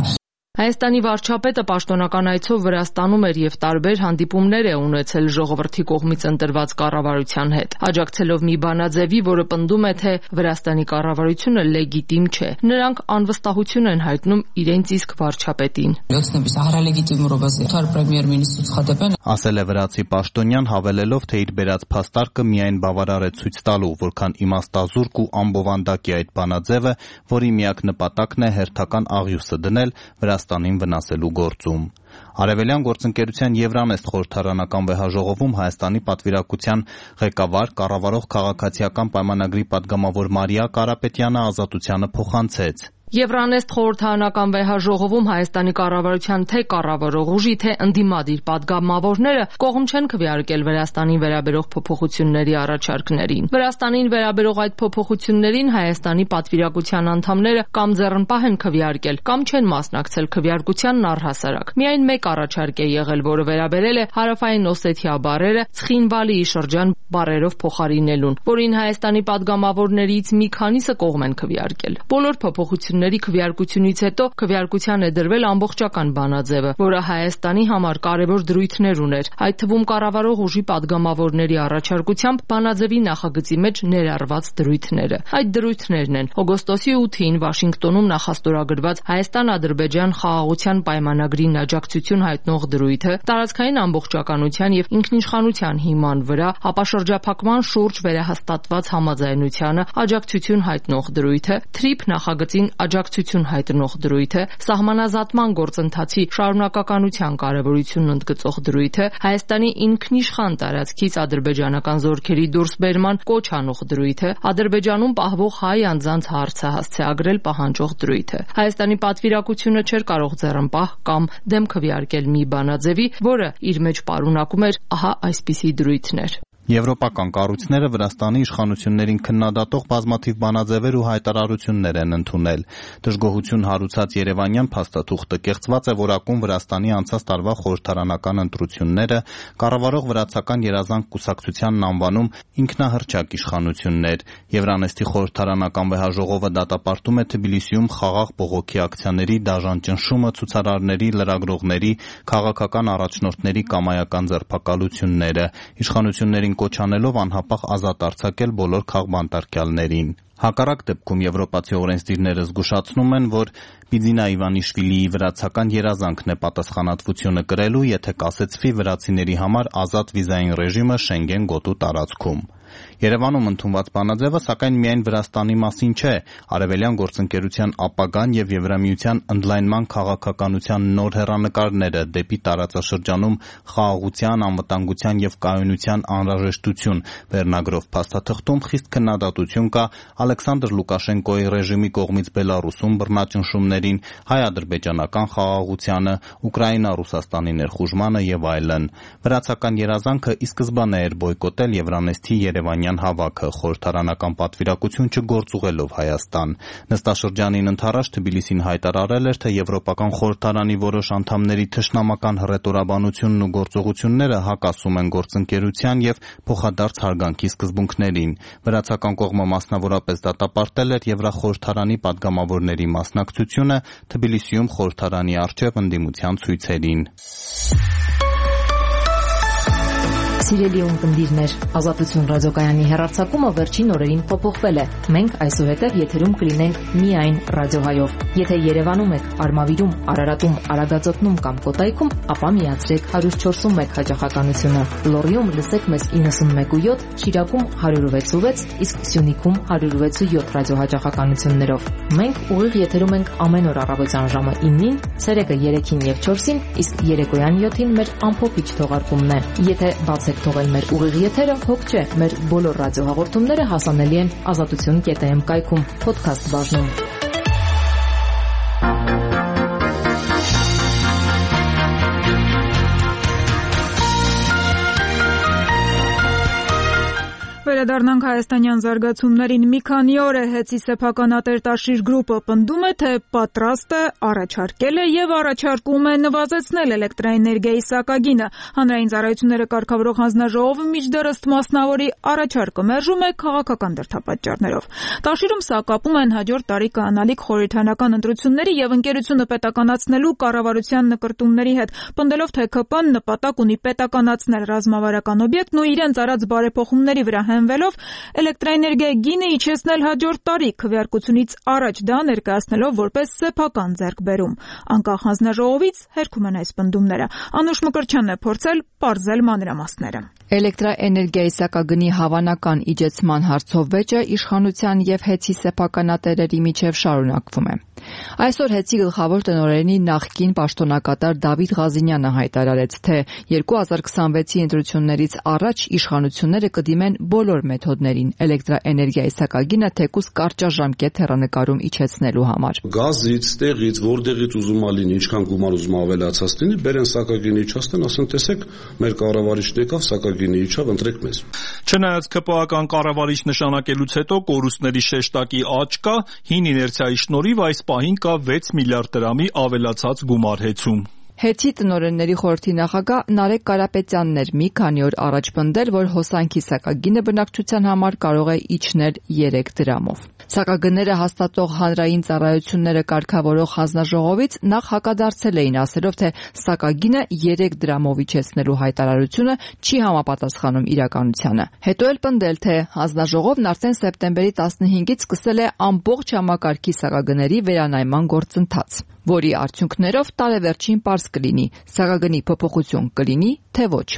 Հայաստանի վարչապետը պաշտոնական այցով Վրաստանում էր եւ տարբեր հանդիպումներ է ունեցել ժողովրդի կողմից ընտրված կառավարության հետ, աջակցելով մի բանաձևի, որը պնդում է, թե Վրաստանի կառավարությունը լեգիտիմ չէ։ Նրանք անվստահություն են հայտնում իրենց իսկ վարչապետին։ Ասել է վրացի պաշտոնյան, հավելելով, թե իր բերած փաստարկը միայն բավարար է ցույց տալու, որքան իմաստազուրկ ու անբովանդակ է այդ բանաձևը, որի միակ նպատակն է հերթական աղյուսը դնել Վրաստանին վնասելու գործում։ Արևելյան գործընկերության Եվրանեստ խորհրդարանական վեհաժողովում Հայաստանի պատվիրակության ղեկավար, կառավարող քաղաքացիական պայմանագրի падգամավոր Մարիա Կարապետյանը Ազատությանը փոխանցեց։ Եվրանեստ խորհրդարանական վեհաժողովում Հայաստանի կառավարության թե կառավարող ուժի, թե ընդդիմադիր падգամավորները կողմ չեն քվեարկել Վրաստանին վերաբերող փոփոխությունների առաջարկներին։ Վրաստանին վերաբերող այդ փոփոխություններին Հայաստանի պատվիրակության անդամները կամ ձեռնպահ են քվեարկել, կամ չեն մասնակցել քվեարկությանն առհասարակ։ Միայն մեկ առաջարկ է եղել, որը վերաբերել է Հարավային Օսեթիա բառերը Ցխինվալիի շրջան բառերով փոխարինելուն, որին Հայաստանի падգամավորներից մի քանիսը կողմ են քվեարկել։ Բոլոր փոփոխությունների քվեարկությունից հետո քվեարկության է դրվել ամբողջական բանաձևը, որը Հայաստանի համար կարևոր դրույթներ ուներ, այդ թվում կառավարող ուժի падգամավորների առաջարկությամբ բանաձևի նախագծի մեջ ներառված դրույթները։ Այդ դրույթներն են օգոստոսի ութին Վաշինգտոնում նախաստորագրված Հայաստան-Ադրբեջան խաղաղության պայմանագրին աջակցություն հայտնող դրույթը, տարածքային ամբողջականության եւ ինքնիշխանության հիման վրա ապաշրջափակման շուրջ վերահաստատված համաձայնությանը աջակցություն հայտնող դրույթը, թրիփ նախագծին աջակցություն հայտնող դրույթը, սահմանազատման գործընթացի շարունակականության կարևորությունն ընդգծող դրույթը, Հայաստանի ինքնիշխան տարածքից ադրբեջանական զորքերի դուրսբերման կոչ անող դրույթը, Ադրբեջանում պահվող հայ անձանց հարցը հասցեագրել պահանջող դրույթը։ Հայաստանի պատվիրակությունը չէր կարող ձեռնպահ կամ դեմ քվեարկել մի բանաձևի, որը իր մեջ պարունակում էր ահա այսպիսի դրույթներ։ Եվրոպական կառույցները Վրաստանի իշխանություններին քննադատող բազմաթիվ բանաձևեր ու հայտարարություններ են ընդունել։ Դժգոհություն հարուցած երևանյան փաստաթուղթը կեղծված է որակում Վրաստանի անցած տարվա խորհրդարանական ընտրությունները, կառավարող վրացական երազանք կուսակցությանն անվանում ինքնահռչակ իշխանություններ։ Եվրանեստի խորհրդարանական վեհաժողովը դատապարտում է Թբիլիսիում խաղաղ բողոքի ակցիաների դաժան ճնշումը, ցուցարարների, լրագրողների, քաղաքական առաջնորդների կամայական ձերբակալությունները, իշխանություններին կոչ անելով անհապաղ ազատ արձակել բոլոր քաղբանտարկյալներին։ Հակառակ դեպքում եվրոպացի օրենսդիրները զգուշացնում են, որ Բիձինա Իվանիշվիլիի վրացական երազանքն է պատասխանատվությունը կրելու, եթե կասեցվի վրացիների համար ազատ վիզային ռեժիմը Շենգեն գոտու տարածքում։ Երևանում ընդունված բանաձևը սակայն միայն Վրաստանի մասին չէ, արևելյան գործընկերության ապագան եւ Եվրամիության ընդլայնման քաղաքականության նոր հեռանկարները դեպի տարածաշրջանում խաղաղության, անվտանգության եւ կայունության անհրաժեշտություն վերնագրով փաստաթղթում խիստ քննադատություն կա Ալեքսանդր Լուկաշենկոյի ռեժիմի կողմից Բելարուսում բռնաճնշումներին, հայ-ադրբեջանական խաղաղությանը, Ուկրաինա-Ռուսաստանի ներխուժմանը եւ այլն։ Վրացական երազանքը ի սկզբանե էր բոյկոտել Եվրանեստի Երևանյան հավաքը, խորհրդարանական պատվիրակություն չգործուղելով Հայաստան։ Նստաշրջանին ընդառաջ Թբիլիսին հայտարարել էր, թե Եվրոպական խորհրդարանի որոշ անդամների թշնամական հռետորաբանությունն ու գործողությունները հակասում են գործընկերության եւ փոխադարձ հարգանքի սկզբունքներին։ Վրացական կողմը մասնավորապես դատապարտել էր Եվրախորհրդարանի պատգամավորների մասնակցությունը Թբիլիսիում խորհրդարանի առջև ընդդիմության ցույցերին։ Սիրելի ունկնդիրներ, Ազատություն ռադիոկայանի հեռարձակումը վերջին օրերին փոփոխվել է։ Մենք այսուհետև եթերում կլինենք միայն ռադիոհայով։ Եթե Երևանում եք, Արմավիրում, Արարատում, Արագածոտնում կամ Կոտայքում, ապա միացրեք one oh four one հաջողականությունը։ Լոռիում լսեք մեզ ninety-one point seven, Շիրակում one oh six point six, իսկ Սյունիքում one oh six point seven ռադիոհաջողականություններով։ Մենք ուղիղ եթերում ենք ամեն օր առավոտյան ժամը nine-ին, ցերեկը three-ին եւ four-ին, իսկ երեկոյան seven-ին մեր ամփոփիչ թողարկումն է։ Եթե բաց թողել մեր ուղիղ եթերը, հոգ չէ, մեր բոլոր ռադիոհաղորդումները հասանելի են ազատություն կետ am կայքում, podcast բաժնում։ Վերադառնանք հայաստանյան զարգացումներին։ Մի քանի օր է հեցի սեփական ատերտաշիր գրուպը պնդում է, թե պատրաստ է, առաջարկել է եւ առաջարկում է նվազեցնել էլեկտրաէներգիայի սակագինը։ Հանրային ծառայությունները կարգավորող հանձնաժողովը մինչդեռ մասնավորի առաջարկը մերժում է քաղաքական դրդապատճառներով։ Տաշիրում սակապում են հաջորդ տարի կանալիք խորհրդարանական ընտրությունների եւ ընկերությունը պետականացնելու կառավարության նկրտումների հետ, պնդելով, թե ՔՊ-ն նպատակ ունի պետականացնել ռազմավարական օբյեկտն ու իրենց արած բարեփոխումների վրա հենվելով էլեկտրաէներգիայի գինը իջեցնել հաջորդ տարի, քվեարկությունից առաջ դա ներկայացնելով որպես սեփական ձեռքբերում։ Անկախ հանձնաժողովից հերքում են այս պնդումները։ Անուշ Մկրտչյանն է փորձել պարզել մանրամասները։ Էլեկտրաէներգիայի սակագնի հավանական իջեցման հարցով վեճը իշխանության եւ հեծի սեփականատերերի միջև շարունակվում է։ Այսօր հեծի գլխավոր տնօրենի նախկին պաշտոնակատար Դավիթ Ղազինյանը հայտարարեց, թե twenty twenty-six-ի ընտրություններից առաջ իշխանությունները կդիմեն բոլոր մեթոդներին էլեկտրաէներգիայի սակագինը թեկուզ կարճաժամկետ հեռանկարում իջեցնելու համար։ Գազից, տեղից, որտեղից ուզում ա լինի, ինչքան գումար ուզում ավելացած լինի, բերեն սակագինը իջացնեն, ասեն, տեսեք, մեր կառավարիչն եկավ, սակագինը իջավ, ընտրեք մեզ։ Չնայած ԿՊԱ-ական կառավարիչ նշանակելուց հետո կորուստների շեշտակի աճ կա, հին իներցիայի շնորհիվ այս պահին կա six միլիարդ դրամի ավելացած գումարհեծում։ Հեծի տնօրենների խորհրդի նախագահ Նարեկ Կարապետյանն էր մի քանի օր առաջ պնդել, որ հոսանքի սակագինը բնակչության համար կարող է իջնել three դրամով։ Սակագները հաստատող հանրային ծառայությունները կարգավորող հանձնաժողովից նախ հակադարձել էին, ասելով, թե սակագինը three դրամով իջեցնելու հայտարարությունը չի համապատասխանում իրականությանը։ Հետո էլ պնդել, թե հանձնաժողովն արդեն սեպտեմբերի fifteen-ից սկսել է ամբողջ համակարգի սակագների վերանայման գործընթաց, որի արդյունքներով տարեվերջին պարզ կլինի՝ սակագնի փոփոխություն կլինի, թե ոչ։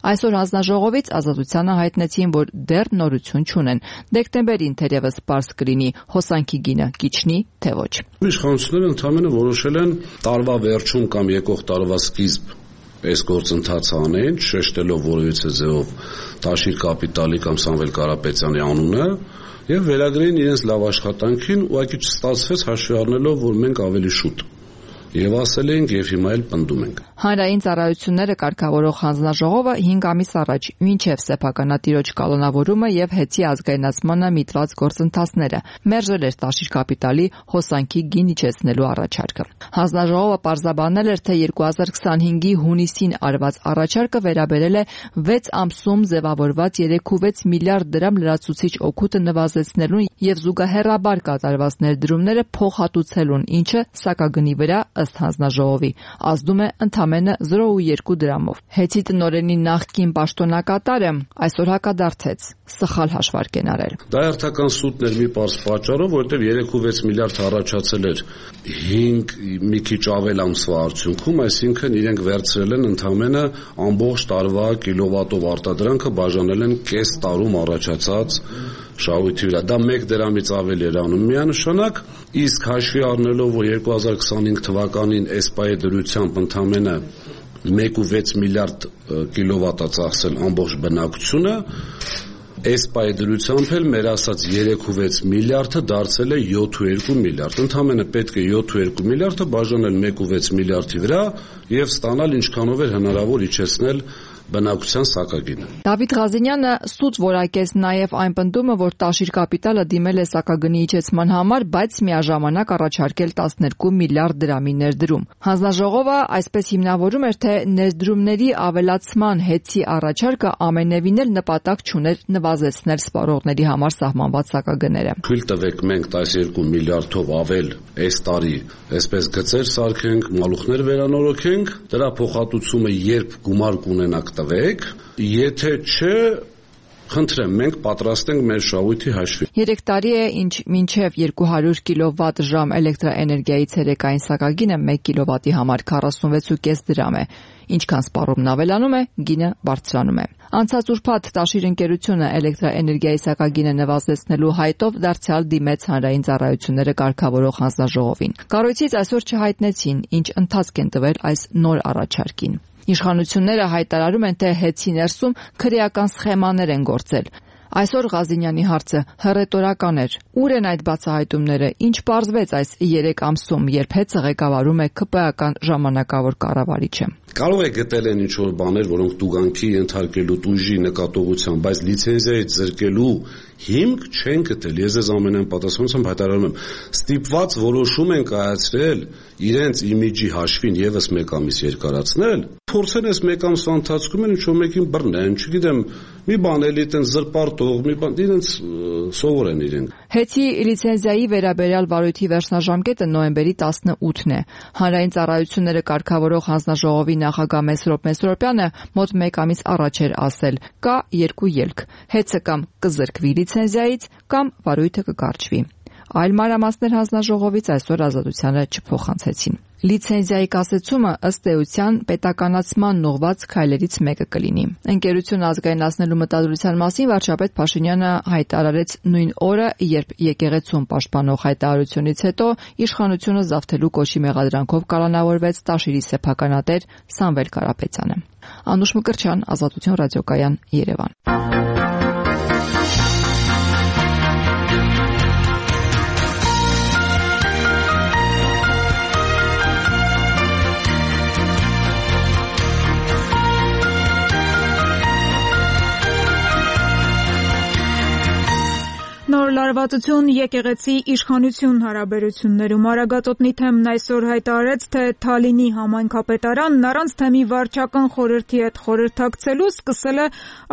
Այսօր հանձնաժողովից Ազատությանը հայտնեցին, որ դեռ նորություն չունեն։ Դեկտեմբերին թերևս պարզ կլինի հոսանքի գինը կիջնի, թե ոչ։ Իշխանությունները ընդհանրապես որոշել են տարվա վերջում կամ եկող տարվա սկիզբ այս գործընթացը անեն, շեշտելով որևիցե ձևով Տաշիր կապիտալի կամ Սամվել Կարապետյանի անունը եւ վերագրեին իրենց լավ աշխատանքին, ուղղակի չստացվեց հաշվի առնելով, որ մենք ավելի շուտ Եվ ասել ենք եւ հիմա էլ պնդում ենք։ Հանրային ծառայությունները կարգավորող հանձնաժողովը հինգ ամիս առաջ մինչև սեփականատիրոջ կալոնավորումը եւ հեծի ազգայնացմանը միտված գործընթացները մերժել էր Տաշիր կապիտալի հոսանքի գին իջեցնելու առաջարկը։ Հանձնաժողովը պարզաբանել էր, թե երկու հազար քսանհինգի հունիսին արված առաջարկը վերաբերել է վեց ամսում ձևավորված երեք կόμμα վեց միլիարդ դրամ լրացուցիչ օգուտը նվազեցնելուն եւ զուգահեռաբար կատարված ներդրումները փոխհատուցելուն, ինչը սակագնի վրա ըստ հանձնաժողովի ազդում է ընդամենը զրո կόμма երկու դրամով։ Հեծի տնօրենի նախկին պաշտոնակատարը այսօր հակադարձեց, սխալ հաշվարկ են արել։ Դա հերթական սուտն էր մի պարզ պատճառով, որովհետեւ երեք կόμma վեց միլիարդ առաջացել էր հինգ մի քիչ ավել ամսվա արդյունքում, այսինքն իրենք վերցրել են ընդամենը ամբողջ տարվա կիլովատով արտադրանքը բաժանել են կես տարում առաջացած շահույթի վրա։ Դա մեկ դրամից ավելի էր անում միանշանակ, իսկ հաշվի առնելով, որ երկու հազար քսանհինգ թվականին էսպայի դրությամբ ընդամենը մեկ կόμma վեց միլիարդ կիլովատ է ծախսել ամբողջ բնակչությունը, էսպայի դրությամբ էլ մեր ասած երեք կόμma վեց միլիարդը դարձել է յոթ կόμma երկու միլիարդ։ Ընդամենը պետք է յոթ կόμma երկու միլիարդը բաժանել մեկ կόμma վեց միլիարդի վրա եւ ստանալ ինչքանով էր հնարավոր իջեցնել բնակության սակագինը։ Դավիթ Ղազենյանը սուտ որակեց նաև այն պնդումը, որ Տաշիր կապիտալը դիմել է սակագնի իջեցման համար, բայց միաժամանակ առաջարկել տասներկու միլիարդ դրամի ներդրում։ Հանձնաժողովը այսպես հիմնավորում էր, թե ներդրումների ավելացման հեծի առաջարկը ամենևին էլ նպատակ չուներ նվազեցնել սպառողների համար սահմանված սակագները։ Թույլ տվեք մենք տասներկու միլիարդով ավել այս տարի այսպես գծեր սարքենք, մալուխներ վերանորոգենք, դրա փոխհատուցումը երբ գումար կունենանք տվեք, եթե չէ, խնդրեմ, մենք պատրաստ ենք մեր շահույթի հաշվին։ Երեք տարի է, ինչ մինչև երկու հարյուր կիլովատ ժամ էլեկտրաէներգիայի ցերեկային սակագինը մեկ կիլովատի համար քառասունվեց կόμμα պենս դրամ է։ Ինչքան սպառումն ավելանում է, գինը բարձրանում է։ Անցած ուրբաթ Տաշիր ընկերությունը էլեկտրաէներգիայի սակագինը նվազեցնելու հայտով դարձյալ դիմեց հանրային ծառայությունները կարգավորող հանձնաժողովին։ Կառույցից այսօր չհայտնեցին, ինչ ընթացք են տվել այս նոր առաջարկին։ Իշխանությունները հայտարարում են, թե հեծի ներսում քրեական սխեմաներ են գործել։ Այսօր Ղազենյանի հարցը հռետորական էր։ Ուր են այդ բացահայտումները, ինչ պարզվեց այս երեք ամսում, երբ հեծը ղեկավարում է ԿՊ ժամանակավոր կառավարիչը։ Կարող է գտել են ինչ-որ բաներ, որոնք տուգանքի ենթարկելու տույժի նկատողությամբ, բայց լիցենզիայից զրկելու հիմք չեն գտել։ Ես ես ամենայն պատասխանությամբ հայտարարում եմ, ստիպված որոշում են կայացրել իրենց իմիջի հաշվին եւս մեկ ամիս երկարացնել, փորձեն այս մեկ ամսվա ընթացքում են ինչ-որ մեկին բռնեն, չգիտեմ, մի բան էլի այդեն զրպարտող, մի բան, իրենց սովոր են իրենք։ Հեծի լիցենզիայի վերաբերյալ վարույթի վերջնաժամկետը նոյեմբերի տասնութն է։ Հանրային ծառայությունները կարգավորող հանձնաժողովի նախագահ Մեսրոպ Մեսրոպյանը մոտ մեկ ամիս առաջ էր ասել. կա երկու ելք. հեծը կամ կզրկվի լիցենզիայից, կամ վարույթը կկարճվի։ Այլ մանրամասներ հանձնաժողովից այսօր ազատությանը չփոխանցեցին։ Լիցենզիայի կասեցումը ըստ էության պետականացման ուղղված քայլերից մեկը կլինի։ Ընկերությունը ազգայնացնելու մտադրության մասին վարչապետ Փաշինյանը հայտարարեց նույն օրը, երբ եկեղեցուն պաշտպանող հայտարարությունից հետո իշխանությունը զավթելու կոչի մեղադրանքով կալանավորվեց Տաշիրի սեփականատեր Սամվել Կարապետյանը։ Անուշ Մկրտչյան, Ազատություն ռադիոկայան, Երևան։ Նոր լարվածություն եկեղեցի իշխանություն հարաբերություններում Արագածոտնի թեմն այսօր հայտարարեց, թե Թալինի համայնքապետարանն առանց թեմի վարչական խորհրդի հետ խորհրդակցելու սկսել է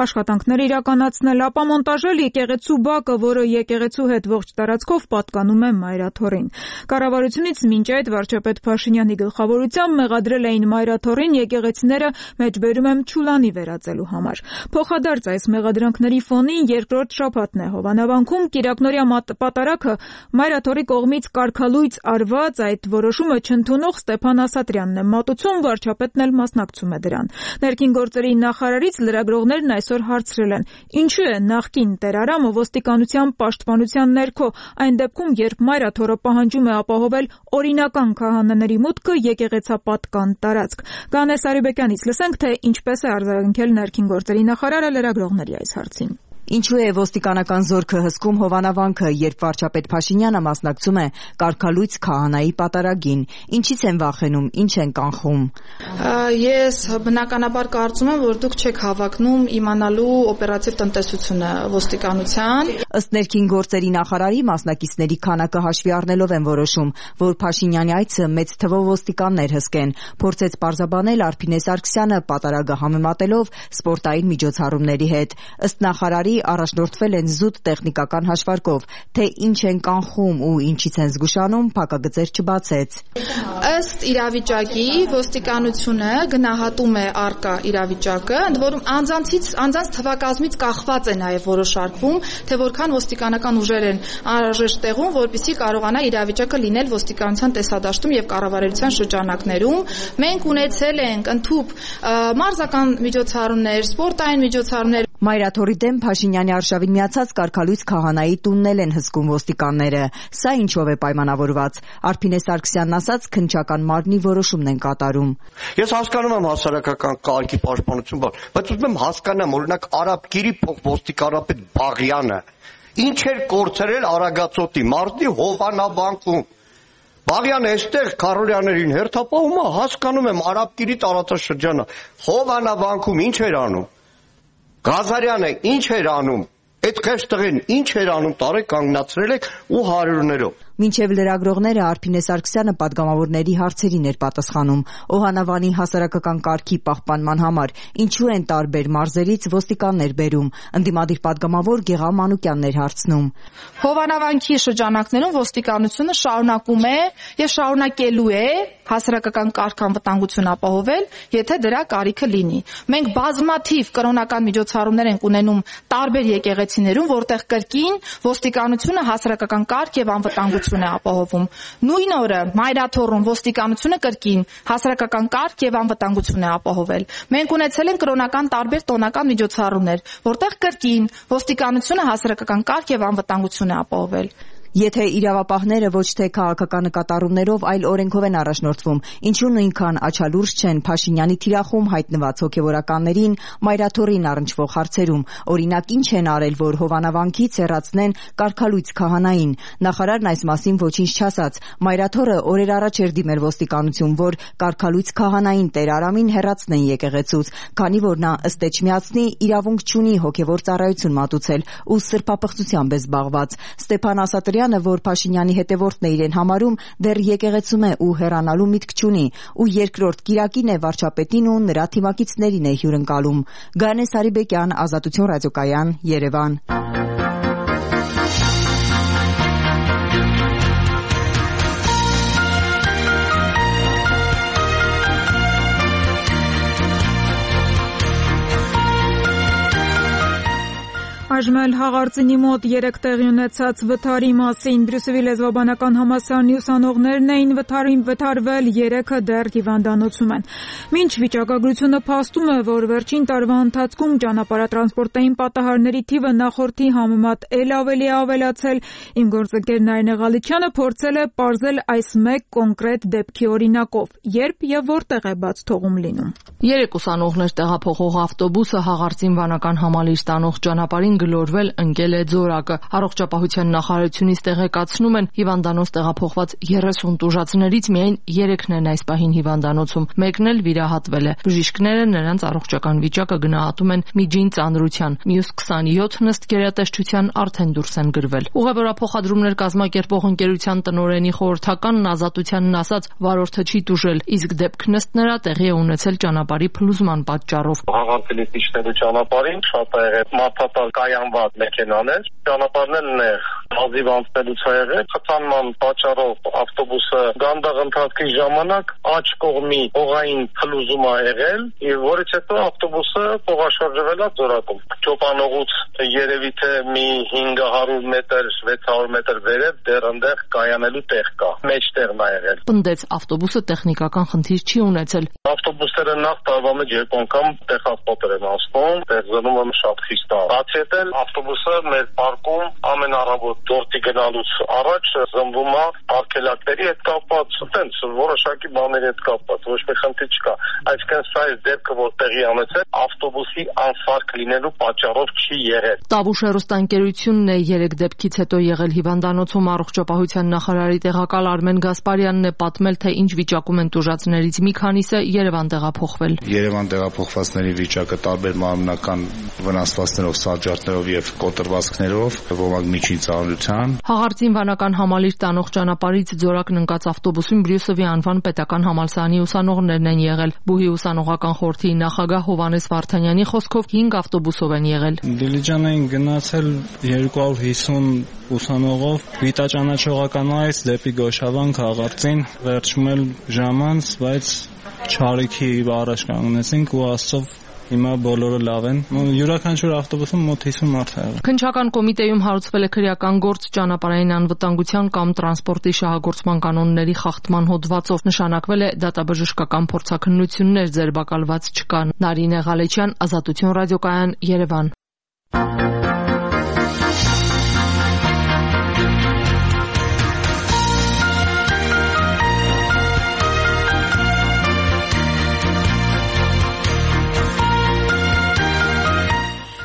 աշխատանքներ իրականացնել, ապա մոնտաժել եկեղեցու բակը, որը եկեղեցու հետ ողջ տարածքով պատկանում է Մայրաթորին։ Կառավարությունից մինչ այդ վարչապետ Փաշինյանի գլխավորությամբ մեղադրել էին Մայրաթորին եկեղեցիները մեջբերում եմ Չուլանի վերածելու համար։ Փոխադարձ այս մեղադրանքների ֆոնին երկրորդ շաբաթն է Հովանավանքում Կիրակնորյա պատարագը Մայրաթորի կողմից կարգալույծ արված այդ որոշումը չընդունող Ստեփան Ասատրյանն է մատուցում, վարչապետն էլ մասնակցում է դրան։ Ներքին գործերի նախարարից լրագրողներն այսօր հարցրել են. ինչու է նախկին տերարամը ոստիկանության պաշտպանության ներքո, այն դեպքում, երբ Մայրաթորը պահանջում է ապահովել օրինական քահանաների մուտքը եկեղեցապատկան տարածք։ Գանես Արիբեկյանից լսենք, թե ինչպես է արձագանքել ներքին գործերի նախարարը լրագրողների այս հարցին։ Ինչու է ոստիկանական զորքը հսկում հովանավանքը, երբ վարչապետ Փաշինյանը մասնակցում է կարգալույց քահանայի պատարագին, ինչից են վախենում, ինչ են կանխում։ Ես բնականաբար կարծում եմ, որ դուք չեք հավակնում իմանալու օպերատիվ տնտեսությունը ոստիկանության։ Ըստ ներքին գործերի նախարարի, մասնակիցների քանակը հաշվի առնելով են որոշում, որ Փաշինյանի այցը մեծ թվով ոստիկաններ հսկեն, փորձեց պարզաբանել Արփինե Սարգսյանը պատարագը համեմատելով սպորտային միջոցառումների հետ։ Ըստ նախարարի, առաջնորդվել են զուտ տեխնիկական հաշվարկով, թե ինչ են կանխում ու ինչից են զգուշանում, փակագծեր չբացեց։ Ըստ իրավիճակի ոստիկանությունը գնահատում է առկա իրավիճակը, ընդ որում անձանցից անձանց թվակազմից կախված է նաև որոշարկվում, թե որքան ոստիկանական ուժեր են անհրաժեշտ տեղում, որպեսզի կարողանա իրավիճակը լինել ոստիկանության տեսադաշտում եւ կառավարության շրջանակներում։ Մենք ունեցել ենք ընդհուպ մարզական միջոցառումներ, սպորտային միջոցառումներ։ Մայրաթորի դեմ Փաշինյանի արշավին միացած կարգալույց քահանայի տունն են հսկում ոստիկանները։ Սա ինչով է պայմանավորված։ Արփինե Սարգսյանն ասաց, քննչական մարմնի որոշումն են կատարում։ Ես հասկանում եմ հասարակական կարգի պաշտպանություն, բայց ուզում եմ հասկանամ, օրինակ Արաբկիրի փոխոստիկանապետ Բաղյանը ինչ էր կորցրել Արագածոտի մարզի հովանավանքում։ Բաղյանը այստեղ Քարորյաներին հերթապահում է, հասկանում եմ Արաբկիրի տարածաշրջանը։ Հովանավանքում ինչ էր անում։ Գազարյանը ինչ էր անում, այդ քեշ տղեն ինչ էր անում, տարե կանգնացրել եք ու հարյուրներով։ Մինչև լրագրողները Արփինե Սարգսյանը պատգամավորների հարցերին էր պատասխանում։ Օհանավանի հասարակական կարգի պահպանման համար ինչու են տարբեր մարզերից ոստիկաններ բերում, ընդդիմադիր պատգամավոր Գեղամ Մանուկյանն էր հարցնում։ Հովանավանքի շրջանակներում ոստիկանությունը շարունակում է եւ շարունակելու է հասարակական կարգ անվտանգություն ապահովել, եթե դրա կարիքը լինի։ Մենք բազմաթիվ կրոնական միջոցառումներ ենք ունենում տարբեր եկեղեցիներում, որտեղ կրկին ոստիկանությունը հասարակական կարգ եւ անվտանգություն է ապահովում։ Նույն օրը Մայրաթոռում ոստիկանությունը կրկին հասարակական կարգ եւ անվտանգություն է ապահովել։ Մենք ունեցել ենք կրոնական տարբեր տոնական միջոցառումներ, որտեղ կրկին ոստիկանությունը հասարակական կարգ եւ անվտանգություն է ապահովել։ Եթե իրավապահները ոչ թե քաղաքական նկատառումներով, այլ օրենքով են առաջնորդվում, ինչու նույնքան աչալուրջ չեն Փաշինյանի թիրախում հայտնված հոգևորականներին Մայրաթոռին առնչվող հարցերում, օրինակ ինչ են արել, որ հովանավանքից հեռացնեն կարգալույց քահանային։ Նախարարն այս մասին ոչինչ չասաց։ Մայրաթոռը օրեր առաջ էր դիմել ոստիկանություն, որ կարգալույց քահանային Տեր Արամին հեռացնեն եկեղեցուց, քանի որ նա ըստ Էջմիածնի իրավունք չունի հոգևոր ծառայություն մատուցել ու սրբապղծությամբ է զբաղված։ Ստեփան Ասատրյանը, որ Փաշինյանի հետևորդն է իրեն համարում, դեռ եկեղեցում է ու հեռանալու միտք չունի, ու երկրորդ կիրակին է վարչապետին ու նրա թիմակիցներին է հյուրընկալում։ Գայանե Սարիբեկյան, Ազատություն ռադիոկայան, Երևան։ Այժմ էլ հաղարծինի մոտ երեք տեղի ունեցած վթարի մասին Բրյուսելի լեզվաբանական համալսարանի ուսանողներն էին վթարին վթարվել, երեքը դեռ հիվանդանոցում են։ Մինչ վիճակագրությունը փաստում է, որ վերջին տարվա ընթացքում ճանապարհատրանսպորտային պատահարների թիվը նախորդի համեմատ ել ավելի է ավելացել, իմ գործընկեր Նարինե Ղալիչյանը փորձել է պարզել այս մեկ կոնկրետ դեպքի օրինակով, երբ եւ որտեղ է բաց թողում լինում։ Երեք ուսանողներ տեղափոխող ավտոբուսը հաղարծին վանական համալիր ստանող ճանապարհին գլորվել ընկել է ձորակը։ Առողջապահության նախարարությունից տեղեկացնում են, հիվանդանոց տեղափոխված երեսուն տուժածներից միայն երեքն են այս պահին հիվանդանոցում, մեկն էլ վիրահատվել է։ Բժիշկները նրանց առողջական վիճակը գնահատում են միջին ծանրության, մյուս քսանյոթն ըստ գերատեսչության արդեն դուրս են գրվել։ Ուղևորափոխադրումներ կազմակերպող ընկերության տնօրենի խորհրդականն Ազատությանն ասաց, վարորդը չի տուժել, իսկ դեպքն ըստ նրա տեղի է ունեցել ճանապարհի փլուզման պատճառով։ Հաղորդելից իջնելու ճանապարհին շատ է եղել մարդատար կայանված մեքենաներ, ճանապարհն էլ նեղ, հազիվ անցնելուց է եղել, խթանման պատճառով ավտոբուսը գանդաղ ընթացքի ժամանակ աջ կողմի հողային փլուզում է եղել, եւ որից հետո ավտոբուսը փողաշրջվել է ձորակում։ Ճոպանողուց երևի թե մի հինգ հարյուր մետր, վեց հարյուր մետր վերև դեռ այնտեղ կայանելու տեղ կա, մեջտեղն է եղել։ Պնդեց, ավտոբուսը տեխնիկական խնդիր չի ունեցել։ Ավտոբուսները նախ տարվա մեջ երկու անգամ տեղափոխել են անցնում, տեղզնում եմ շատ խիստ է։ Բացի այդ, ավտոբուսը մեր պարկում ամենառավոտ գործի գնալուց առաջ զնվում է արգելակների հետ կապված, տենց որոշակի բաների հետ կապված, ոչ մի խնդիր չկա։ Այսինքն սա է դեպքը, որ տեղի ունեցել, ավտոբուսի անսարք լինելու պատճառով չի եղել։ Տավուշ հեռուստաընկերությունն է երեք դեպքից հետո եղել հիվանդանոցում առողջապահության նախարարի տեղակալ Արմեն Գասպարյանն է պատմել, թե ինչ վիճակում են տուժածներից մի քանիսը Երևան տեղափոխվել։ Երևան տեղափոխվածների վիճակը տարբեր մարմնական վնասվածքներով, սառջարդներով եւ կոտրվածքներով, ոմանք միջին ծանրության։ Հաղարծին վանական համալիր տանող ճանապարհից Ձորակն ընկած ավտոբուսում Բրյուսովի անվան պետական համալսարանի ուսանողներն են եղել։ Բուհի ուսանողական խորհրդի նախագահ Հովհաննես Վարդանյանի խոսքով հինգ ավտոբուսով են եղել։ Դիլիջան էին գնացել երկու հարյուր հիսուն ուսանողով Վիտաճանաչողականից դեպի Գոշավան Հաղարծին, վերջում էլ ժամանց, բայց չարիքի առաջ կանգնեցինք ու Աստծով հիմա բոլորը լավ են։ Յուրաքանչյուր ավտոբուսում մոտ հիսուն մարդ է եղել։ Քննչական կոմիտեում հարուցվել է քրեական գործ ճանապարհային անվտանգության կամ տրանսպորտի շահագործման կանոնների խախտման հոդվածով։ Նշանակվել է դատաբժշկական փորձաքննություններ, ձերբակալված չկան։ Նարինե Ղալեչյան, Ազատություն ռադիոկայան, Երևան։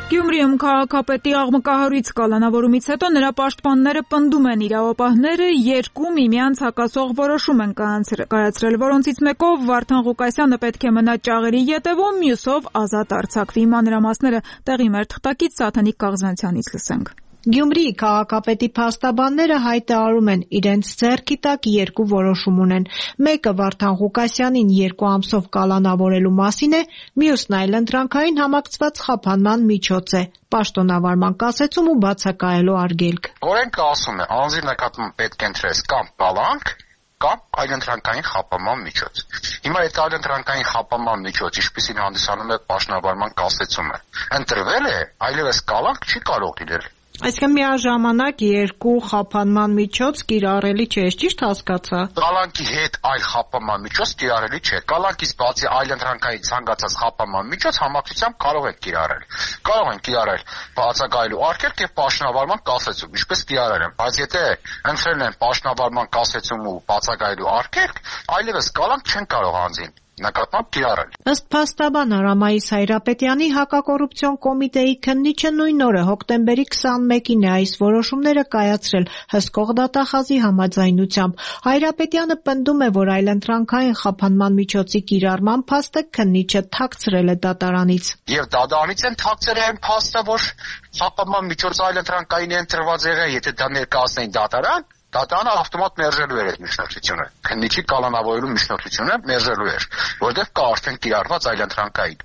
Գյումրիում քաղաքապետի աղմկահարույց կալանավորումից հետո նրա պաշտպանները պնդում են իրավապահները երկու միմյանց հակասող որոշում են կայացրել, որոնցից մեկով Վարդան Ղուկասյանը պետք է մնա ճաղերի ետևում, մյուսով ազատ արձակվի։ Մանրամասները տեղի մեր թղթակից Սաթանիկ Կաղզանցյանից լսենք։ Գյումրիի քաղաքապետի փաստաբանները հայտարարում են իրենց ձեռքի տակ երկու որոշում ունեն։ Մեկը Վարդան Ղուկասյանին երկու ամսով կալանավորելու մասին է, մյուսն այլընտրանքային համակցված խափանման միջոց է, պաշտոնավարման կասեցում ու բացակայելու արգելք։ Օրենքը ասում է, անձի նկատմամբ պետք է ընտրես կամ կալանք, կամ այլընտրանքային խափանման միջոց։ Հիմա այդ այլընտրանքային խափանման միջոց, ինչպիսին հանդիսանում է պաշտոնավարման կասեցումը, ընտրվել է, այլևս կալանք չի կարող լինել։ Այսինքն միաժամանակ երկու խափանման միջոց կիրառելի չէ, ճիշտ հասկացա։ Կալանքի հետ այլ խափանման միջոց կիրառելի չէ։ Կալանքից բացի այլընտրանքային ցանկացած խափանման միջոց համակցությամբ կարող են կիրառել։ Կարող են կիրառել բացակայելու արգելք եւ պաշտոնավարման կասեցում, ինչպես կիրառել են, բայց եթե ընտրել են պաշտոնավարման կասեցում ու բացակայելու արգելք, այլևս կալանք չեն կարող անձին նկատմամբ կիրառել։ Ըստ փաստաբան Արամայիս Հայրապետյանի հակակոռուպցիոն կոմիտեի քննիչը նույն օրը հոկտեմբերի քսանմեկին է այս որոշումները կայացրել հսկող դատախազի համաձայնությամբ։ Հայրապետյանը պնդում է, որ այլընտրանքային խափանման միջոցի կիրառման փաստը քննիչը թաքցրել է դատարանից։ Եվ դատարանից են թաքցրել այն փաստը, որ խափանման միջոց այլընտրանքային է ընտրված եղել, եթե դա ներկայացնեին դատարան, դատարանը ավտոմատ մերժելու էր այդ միջնորդությունը։ Քննիչի կալանավորելու միջնորդությունը մերժելու էր, որտեղ կա արդեն կիրառված այլընտրանքային։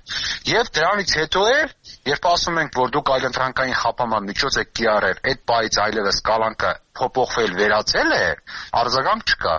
Եվ դրանից հետո է, երբ ասում ենք, որ դուք այլընտրանքային խափանման միջոց եք կիրառել, այդ պահից այլևս կալանքը փոփոխվել վերացել է, արձագանք չկա,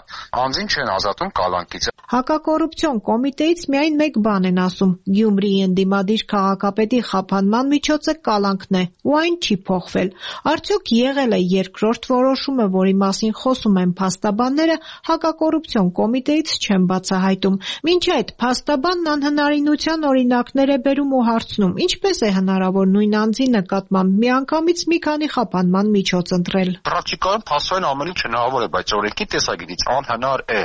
անձին չեն ազատում կալանքից։ Հակակոռուպցիոն կոմիտեից միայն մեկ բան են ասում. Գյումրիի ընդդիմադիր քաղաքապետի խափանման միջոցը կալանքն է, ու այն չի փոխվել։ Արդյոք եղել է երկրորդ որոշումը, որի մասին խոսում են փաստաբանները, հակակոռուպցիոն կոմիտեից չեն բացահայտում։ Մինչ այդ փաստաբանն անհնարինության օրինակներ է բերում ու հարցնում. ինչպես է հնարավոր նույն անձի նկատմամբ միանգամից մի քանի խափանման միջոց ընտրել։ Պրակտիկայում փաստորեն ամեն ինչ հնարավոր է, բայց օրենքի տեսակետից անհնար է։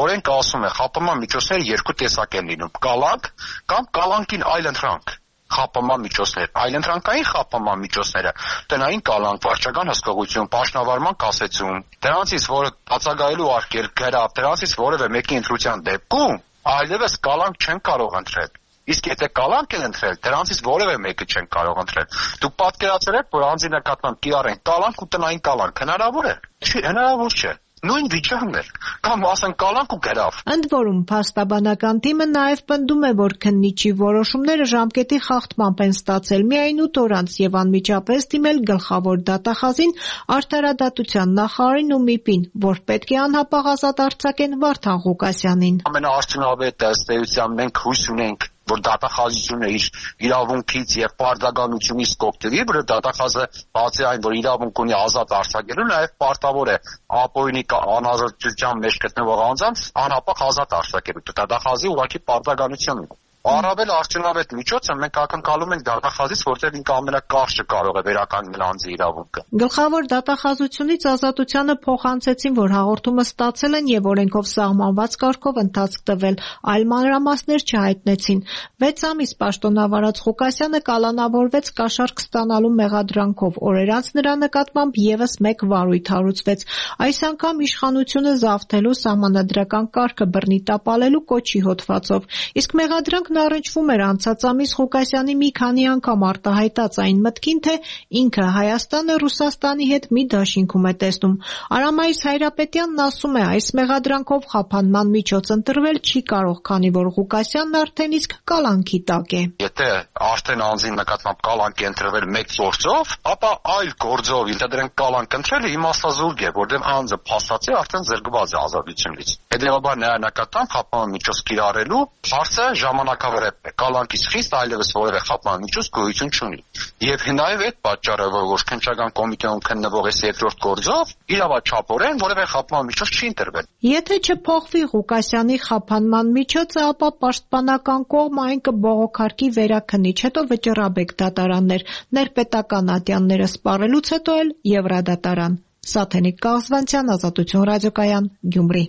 Օրենքը ասում է, խափանման միջոցները երկու տեսակ են լինում՝ կալանք կամ կալանքին այլընտրանք խափանման միջոցներ։ Այլընտրանքային խափանման միջոցները տնային կալանք, վարչական հսկողություն, պաշտոնավարման կասեցում, դրանցից որը բացակայելու արգելք գրավ, դրանցից որևէ մեկի ընտրության դեպքում այլևս կալանք չեն կարող ընտրել։ Իսկ եթե կալանք են ընտրել, դրանցից որևէ մեկը չեն կարող ընտրել։ Դուք պատկերացրել եք, որ անձի նկատմամբ կիրառեն կալանք ու տնային կալանք, հնարավոր է։ Չի, հնարավոր չէ։ Նույն վիճակն է։ Կամ ասեն կալանք ու գրավ։ Ընդ որում փաստաբանական թիմը նաև պնդում է, որ քննիչի որոշումները ժամկետի խախտմամբ են ստացել միայն ութ օր անց եւ անմիջապես դիմել գլխավոր դատախազին, արդարադատության նախարարին ու ՄԻՊ-ին, որ պետք է անհապաղ ազատ արձակեն Վարդան Ղուկասյանին։ Ամենաարդյունավետ ըստ մենք հույս ունենք, որ դատախազությունը իր իրավունքից եւ պարտականությունից կօգտվի, որ դատախազը բացի այն, որ իրավունք ունի ազատ արձակելու, նաեւ պարտավոր է ապօրինի անազատության մեջ գտնվող անձանց անհապաղ ազատ արձակելու։ Դատախազի ուղղակի պարտականություն ունի։ Առավել արդյունավետ միջոցը մենք ակնկալում ենք դատախազից, որտեղ ինքը ամենակարճը կարող է վերականգնել անձի իրավունքը։ Գլխավոր դատախազությունից Ազատությանը փոխանցեցին, որ հաղորդումը ստացել են եւ օրենքով սահմանված կարգով ընթացք տվել, այլ մանրամասներ չհայտնեցին։ վեց ամիս պաշտոնավարած Ղուկասյանը կալանավորվեց կաշառք ստանալու մեղադրանքով, օրեր անց նրա նկատմամբ եւս մեկ վարույթ հարուցվեց։ Այս անգամ իշխանությունը զավթելու սահմանադրական կարգը բռնի տապալելու կոչի հոդվածով։ Իսկ մեղադրանքն առնչվում էր անցած ամիս Ղուկասյանի մի քանի անգամ արտահայտած այն մտքին, թե ինքը Հայաստանը Ռուսաստանի հետ մի դաշինքում է տեսնում։ Արամայիս Հայրապետյանն ասում է, այս մեղադրանքով խափանման միջոց ընտրվել չի կարող, քանի որ Ղուկասյանն արդեն իսկ կալանքի տակ է։ Եթե արդեն անձի նկատմամբ կալանք է ընտրվել մեկ գործով, ապա այլ գործով ինտեդրենք կալանք ընտրելը իմաստազուրկ է, որտեղ անձը փաստացի արդեն զրկված է ազատությունից։ Հետևաբար նրա նկատմամբ խափման միջոց կիրառելու հարցը ժամանակավրեպ է։ Կալանքից խիստ այլևս որևէ խափման միջոց գոյություն չունի։ Եվ նաև այդ պատճառով, որ քննչական կոմիտեում քննվող այս երկրորդ գործով իրավաչափորեն որևէ խափման միջոց չի ընտրվել։ Եթե չփոխվի Ղուկասյանի խափանման միջոցը, ապա պաշտպանական կողմը այն կբողոքարկի վերաքննիչ, հետո վճռաբեկ դատարաններ, ներպետական ատյանները սպառելուց հետո էլ Եվրադատարան։ Սաթենիկ Կաղզվանցյան, Ազատություն ռադիոկայան, Գյումրի։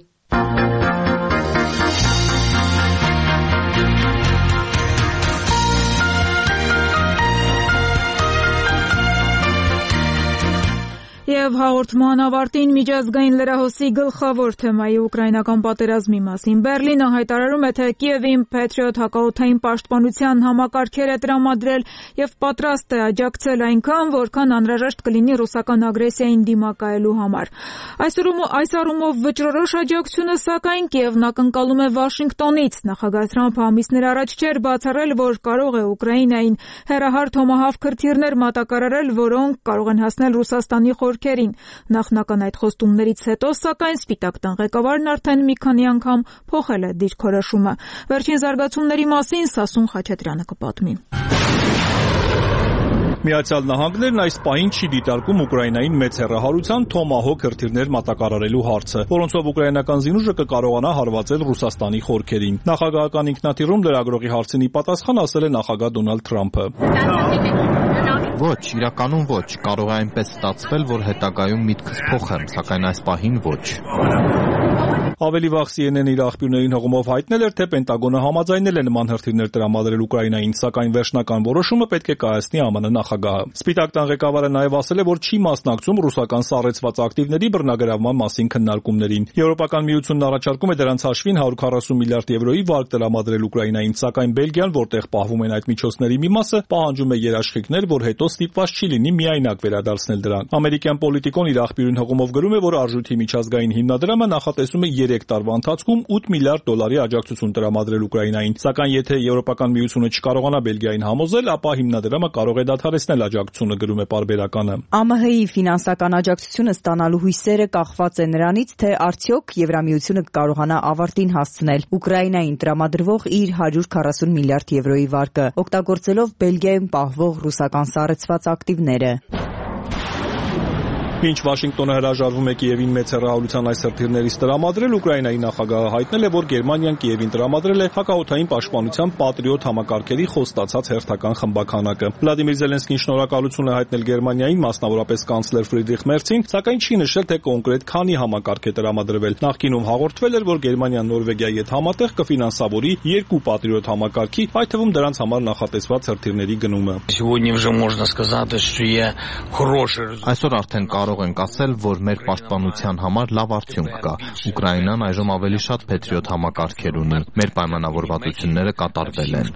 Եվ հաղորդման ավարտին միջազգային լրահոսի գլխավոր թեմայի ուկրաինական պատերազմի մասին Բերլինը հայտարարում է, թե Կիևին Patriot հակաօդային պաշտպանության համակարգեր է տրամադրել եւ պատրաստ է աջակցել այնքան, որքան անհրաժեշտ կլինի ռուսական ագրեսիային դիմակայելու համար։ Այս առումով վճռորոշ աջակցությունը, սակայն, Կիևն ակնկալում է Վաշինգտոնից։ Նախագահ Թրամփը ամիսներ առաջ չէր բացառել, որ կարող է Ուկրաինային հեռահար Թոմահավք քրթիռներ մատակարարել, որոնք կարող են հասնել Ռուսաստանի խորքերին։ Նախնական այդ խոստումներից հետո, սակայն, Սպիտակ տան ղեկավարն արդեն մի քանի անգամ փոխել է դիրքորոշումը։ Վերջին զարգացումների մասին Սասուն Խաչատրյանը կպատմի։ Միացյալ Նահանգներն այս պահին չի դիտարկում Ուկրաինային մեծ հեռահարության Թոմահոք քրթիռներ մատակարարելու հարցը, որոնցով ուկրաինական զինուժը կկարողանա հարվածել Ռուսաստանի խորքերին։ Նախագահական ինքնաթիռում լրագրողի հարցին ի պատասխան ասել է նախագահ Դոնալդ Թրամփը. Ոչ, իրականում ոչ, կարող է այնպես ստացվել, որ հետագայում միտքս փոխեմ, սակայն այս պահին ոչ։ Ավելի վաղ C N N-ը իր աղբյուրներին հղումով հայտնել էր, թե Պենտագոնը համաձայնել է նման հրթիռներ տրամադրել Ուկրաինային, սակայն վերջնական որոշումը պետք է կայացնի Ամն նախագահը։ Սպիտակ տան ղեկավարը նաև ասել է, որ չի մասնակցում ռուսական սառեցված ակտիվների բռնագրավման մասին քննարկումներին։ Եվրոպական միությունն առաջարկում է դրանց հաշվին հարյուր քառասուն միլիարդ եվրոյի վարկ տրամադրել Ուկրաինային, սակայն Բելգիան, որտեղ պահվում են այդ միջոցների մի մասը, պահանջում է երաշխիքներ, որ հետո ստիպված չի լինի միայնակ վերադարձնել դրան։ Ամերիկյան պոլիտիկոն իր աղբյուրին հղումով գրում է, որ արժույթի միջազգային հիմնադրամը նախատեսում է երեք տարվա ընթացքում ութ միլիարդ դոլարի աջակցություն տրամադրել Ուկրաինային, սակայն եթե Եվրոպական միությունը չկարողանա Բելգիային համոզել, ապա հիմնադրամը կարող է դադարեցնել աջակցությունը, գրում է պարբերականը։ A M H-ի ֆինանսական աջակցությունը ստանալու հույսերը կախված է նրանից, թե արդյոք Եվրամիությունը կկարողանա ավարտին հասցնել Ուկրաինային տրամադրվող իր հարյուր քառասուն միլիարդ եվրոյի վարկը, օգտագործելով Բելգիայում պահվող ռուսական սառեցված ակտիվները։ Մինչ Վաշինգտոնը հրաժարվում է Կիևին մեծ հեռահարության այս հրթիռներից տրամադրել, Ուկրաինայի նախագահը հայտնել է, որ Գերմանիան Կիևին տրամադրել է հակաօդային պաշտպանության Patriot համակարգերի խոստացած հերթական խմբականակը։ Վլադիմիր Զելենսկին շնորհակալություն է հայտնել Գերմանիային, մասնավորապես կանցլեր Ֆրիդրիխ Մերցին, սակայն չի նշել, թե կոնկրետ քանի համակարգ է տրամադրվել։ Նախկինում հաղորդվել էր, որ Գերմանիան Նորվեգիայի հետ համատեղ կֆինանսավորի երկու Patriot համակարգի, այդ թվում դրանց համար նախատեսված հրթիռների գնումը։ Այսօր արդեն կարող ենք ասել, որ մեր պաշտպանության համար լավ արդյունք կա։ Ուկրաինան այժմ ավելի շատ Patriot համակարգեր ունի։ Մեր պայմանավորվածությունները կատարվել են։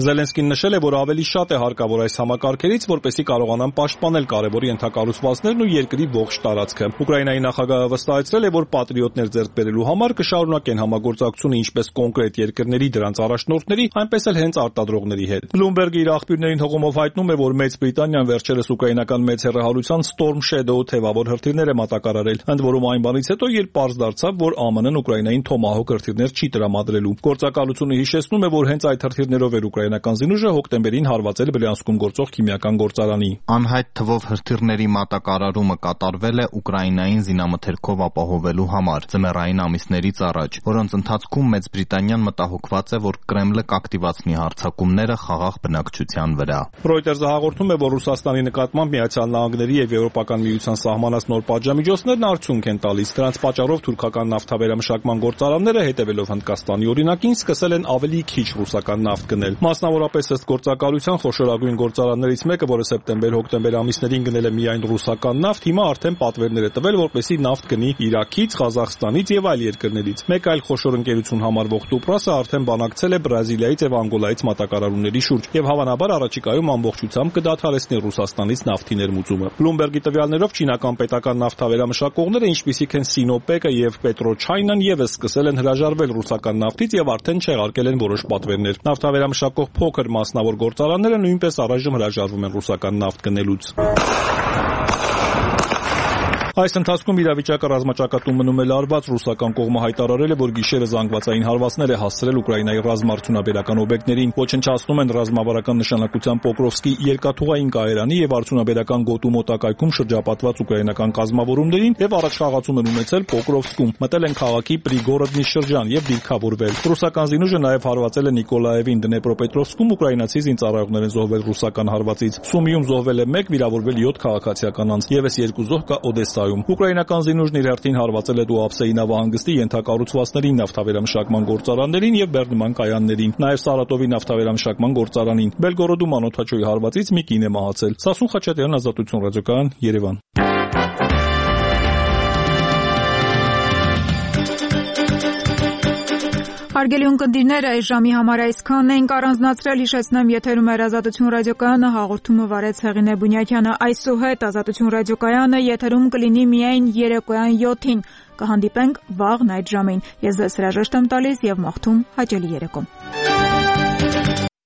Զելենսկին նշել է, որ ավելի շատ է հարկավոր այս համակարգերից, որպեսզի կարողանան պաշտպանել կարևոր ենթակառուցվածքներն ու երկրի ողջ տարածքը։ Ուկրաինայի նախագահը վստահեցրել է, որ Patriot-ներ ձեռք բերելու համար կշարունակեն համագործակցությունը ինչպես կոնկրետ երկրների դրանց առաջնորդների, այնպես էլ հենց արտադրողների գործարարների հետ։ Bloomberg-ը իր աղբյուրներին հողումով հայտնում է, որ Մեծ Բրիտանիան վերջերս ուկրաինական մեծ հեռահարության Storm Shadow թևավոր հրթիռներ է մատակարարել, ընդ որում այն բանից հետո, երբ պարզ դարձավ, որ ԱՄՆ-ն Ուկրաինային Tomahawk հրթիռներ չի տրամադրելու։ Գործակալությունը հիշեցնում է, որ հենց այդ հրթիռներով էր ուկրաինական զինուժը հոկտեմբերին հարվածել Բրյանսկում գործող քիմիական գործարանի։ Անհայտ թվով հրթիռների մատակարարումը կատարվել է Ուկրաինային զինամթերքով ապահովելու համար ձմեռային ամիսներից առաջ, որոնց ընթացքում Մեծ Բրիտանիան մտահոգված է, որ Կրեմլը կակտիվացնի հարձակումները խաղաղ բնակչության վրա։ Reuters-ը հաղորդում է, որ Ռուսաստանի նկատմամբ Միացյալ Նահանգների եւ Եվրոպական միության սահմանած նոր պատժամիջոցներն արդյունք են տալիս։ Դրանց պատճառով թուրքական նավթավերամշակման գործարանները, հետևելով Հնդկաստանի օրինակին, սկսել են ավելի քիչ ռուսական նավթ գնել։ Մասնավորապես ըստ գործակալության խոշորագույն գործարաններից մեկը, որը սեպտեմբեր-հոկտեմբեր ամիսներին գնել է միայն ռուսական նավթ, հիմա արդեն պատվերներ է տվել, որպեսզի նավթ գնի Իրաքից, Ղազախստանից եւ այլ երկրներից։ Մեկ այլ խոշոր ընկերություն համարվող Տուպրասը արդեն բանակցել է Բրազիլիայից եւ Անգոլայից մատակարարումների շուրջ եւ հավանաբար առաջիկայում ամբողջությամբ կդադարեցնի Ռուսաստանից նավթի ներմուծումը։ Bloomberg-ի տվյալներով չինական պետական նավթավերամշակողները, ինչպիսիք են Sinopec-ը եւ Petrochina-ն, եւս սկսել են հրաժարվել ռուսական նավթից եւ արդեն չեղարկել են որոշ պատվերներ։ Նավթավերամշակող փոքր մասնավոր գործարանները նույնպես առայժմ հրաժարվում են ռուսական նավթ գնելուց։ Այս ընթացքում իրավիճակը ռազմաճակատում մնում է լարված։ Ռուսական կողմը հայտարարել է, որ գիշերը զանգվածային հարվածներ է հասցրել Ուկրաինայի ռազմաարդյունաբերական օբյեկտներին, ոչնչացնում են ռազմավարական նշանակության Պոկրովսկի երկաթուղային կայարանի եւ արդյունաբերական գոտու մոտակայքում շրջապատված ուկրաինական կազմավորումներին եւ առաջխաղացում են ունեցել Պոկրովսկում, մտել են քաղաքի Պրիգորոդնի շրջան եւ դիրքավորվել։ Ռուսական զինուժը նաեւ հարվածել է Նիկոլաևին Դնեպրոպետրովսկում, ուկրաինացի զինծառայողներ են զոհվել ռուսական հարվածից։ Սումիում զոհվել է մեկ, վիրավորվել յոթ քաղաքացիական անձ, եւս երկու զոհ կա Օդեսա։ Ուկրաինական զինուժն իր հերթին հարվածել է Դուապսեի նավահանգստի ենթակառուցվածքներին, նավթավերամշակման գործարաններին եւ բեռնման կայաններին, նաեւ Սարատովի նավթավերամշակման գործարանին։ Բելգորոդում անօդաչոյի հարվածից մի կին է մահացել։ Սասուն Խաչատրյան, Ազատություն ռադիոկայան, Երևան։ Հարգելի ունկնդիրներ, այս ժամի համար այսքանն ենք առանձնացրել, հիշեցնեմ, եթերում էր Ազատություն ռադիոկայանը, հաղորդումը վարեց Հեղինե Բունյակյանը։ Այսուհետ Ազատություն ռադիոկայանը եթերում կլինի միայն երեկոյան յոթին։ Կհանդիպենք վաղն այդ ժամին։ Ես ձեզ հրաժեշտ եմ տալիս եւ մաղթում հաճելի երեկո։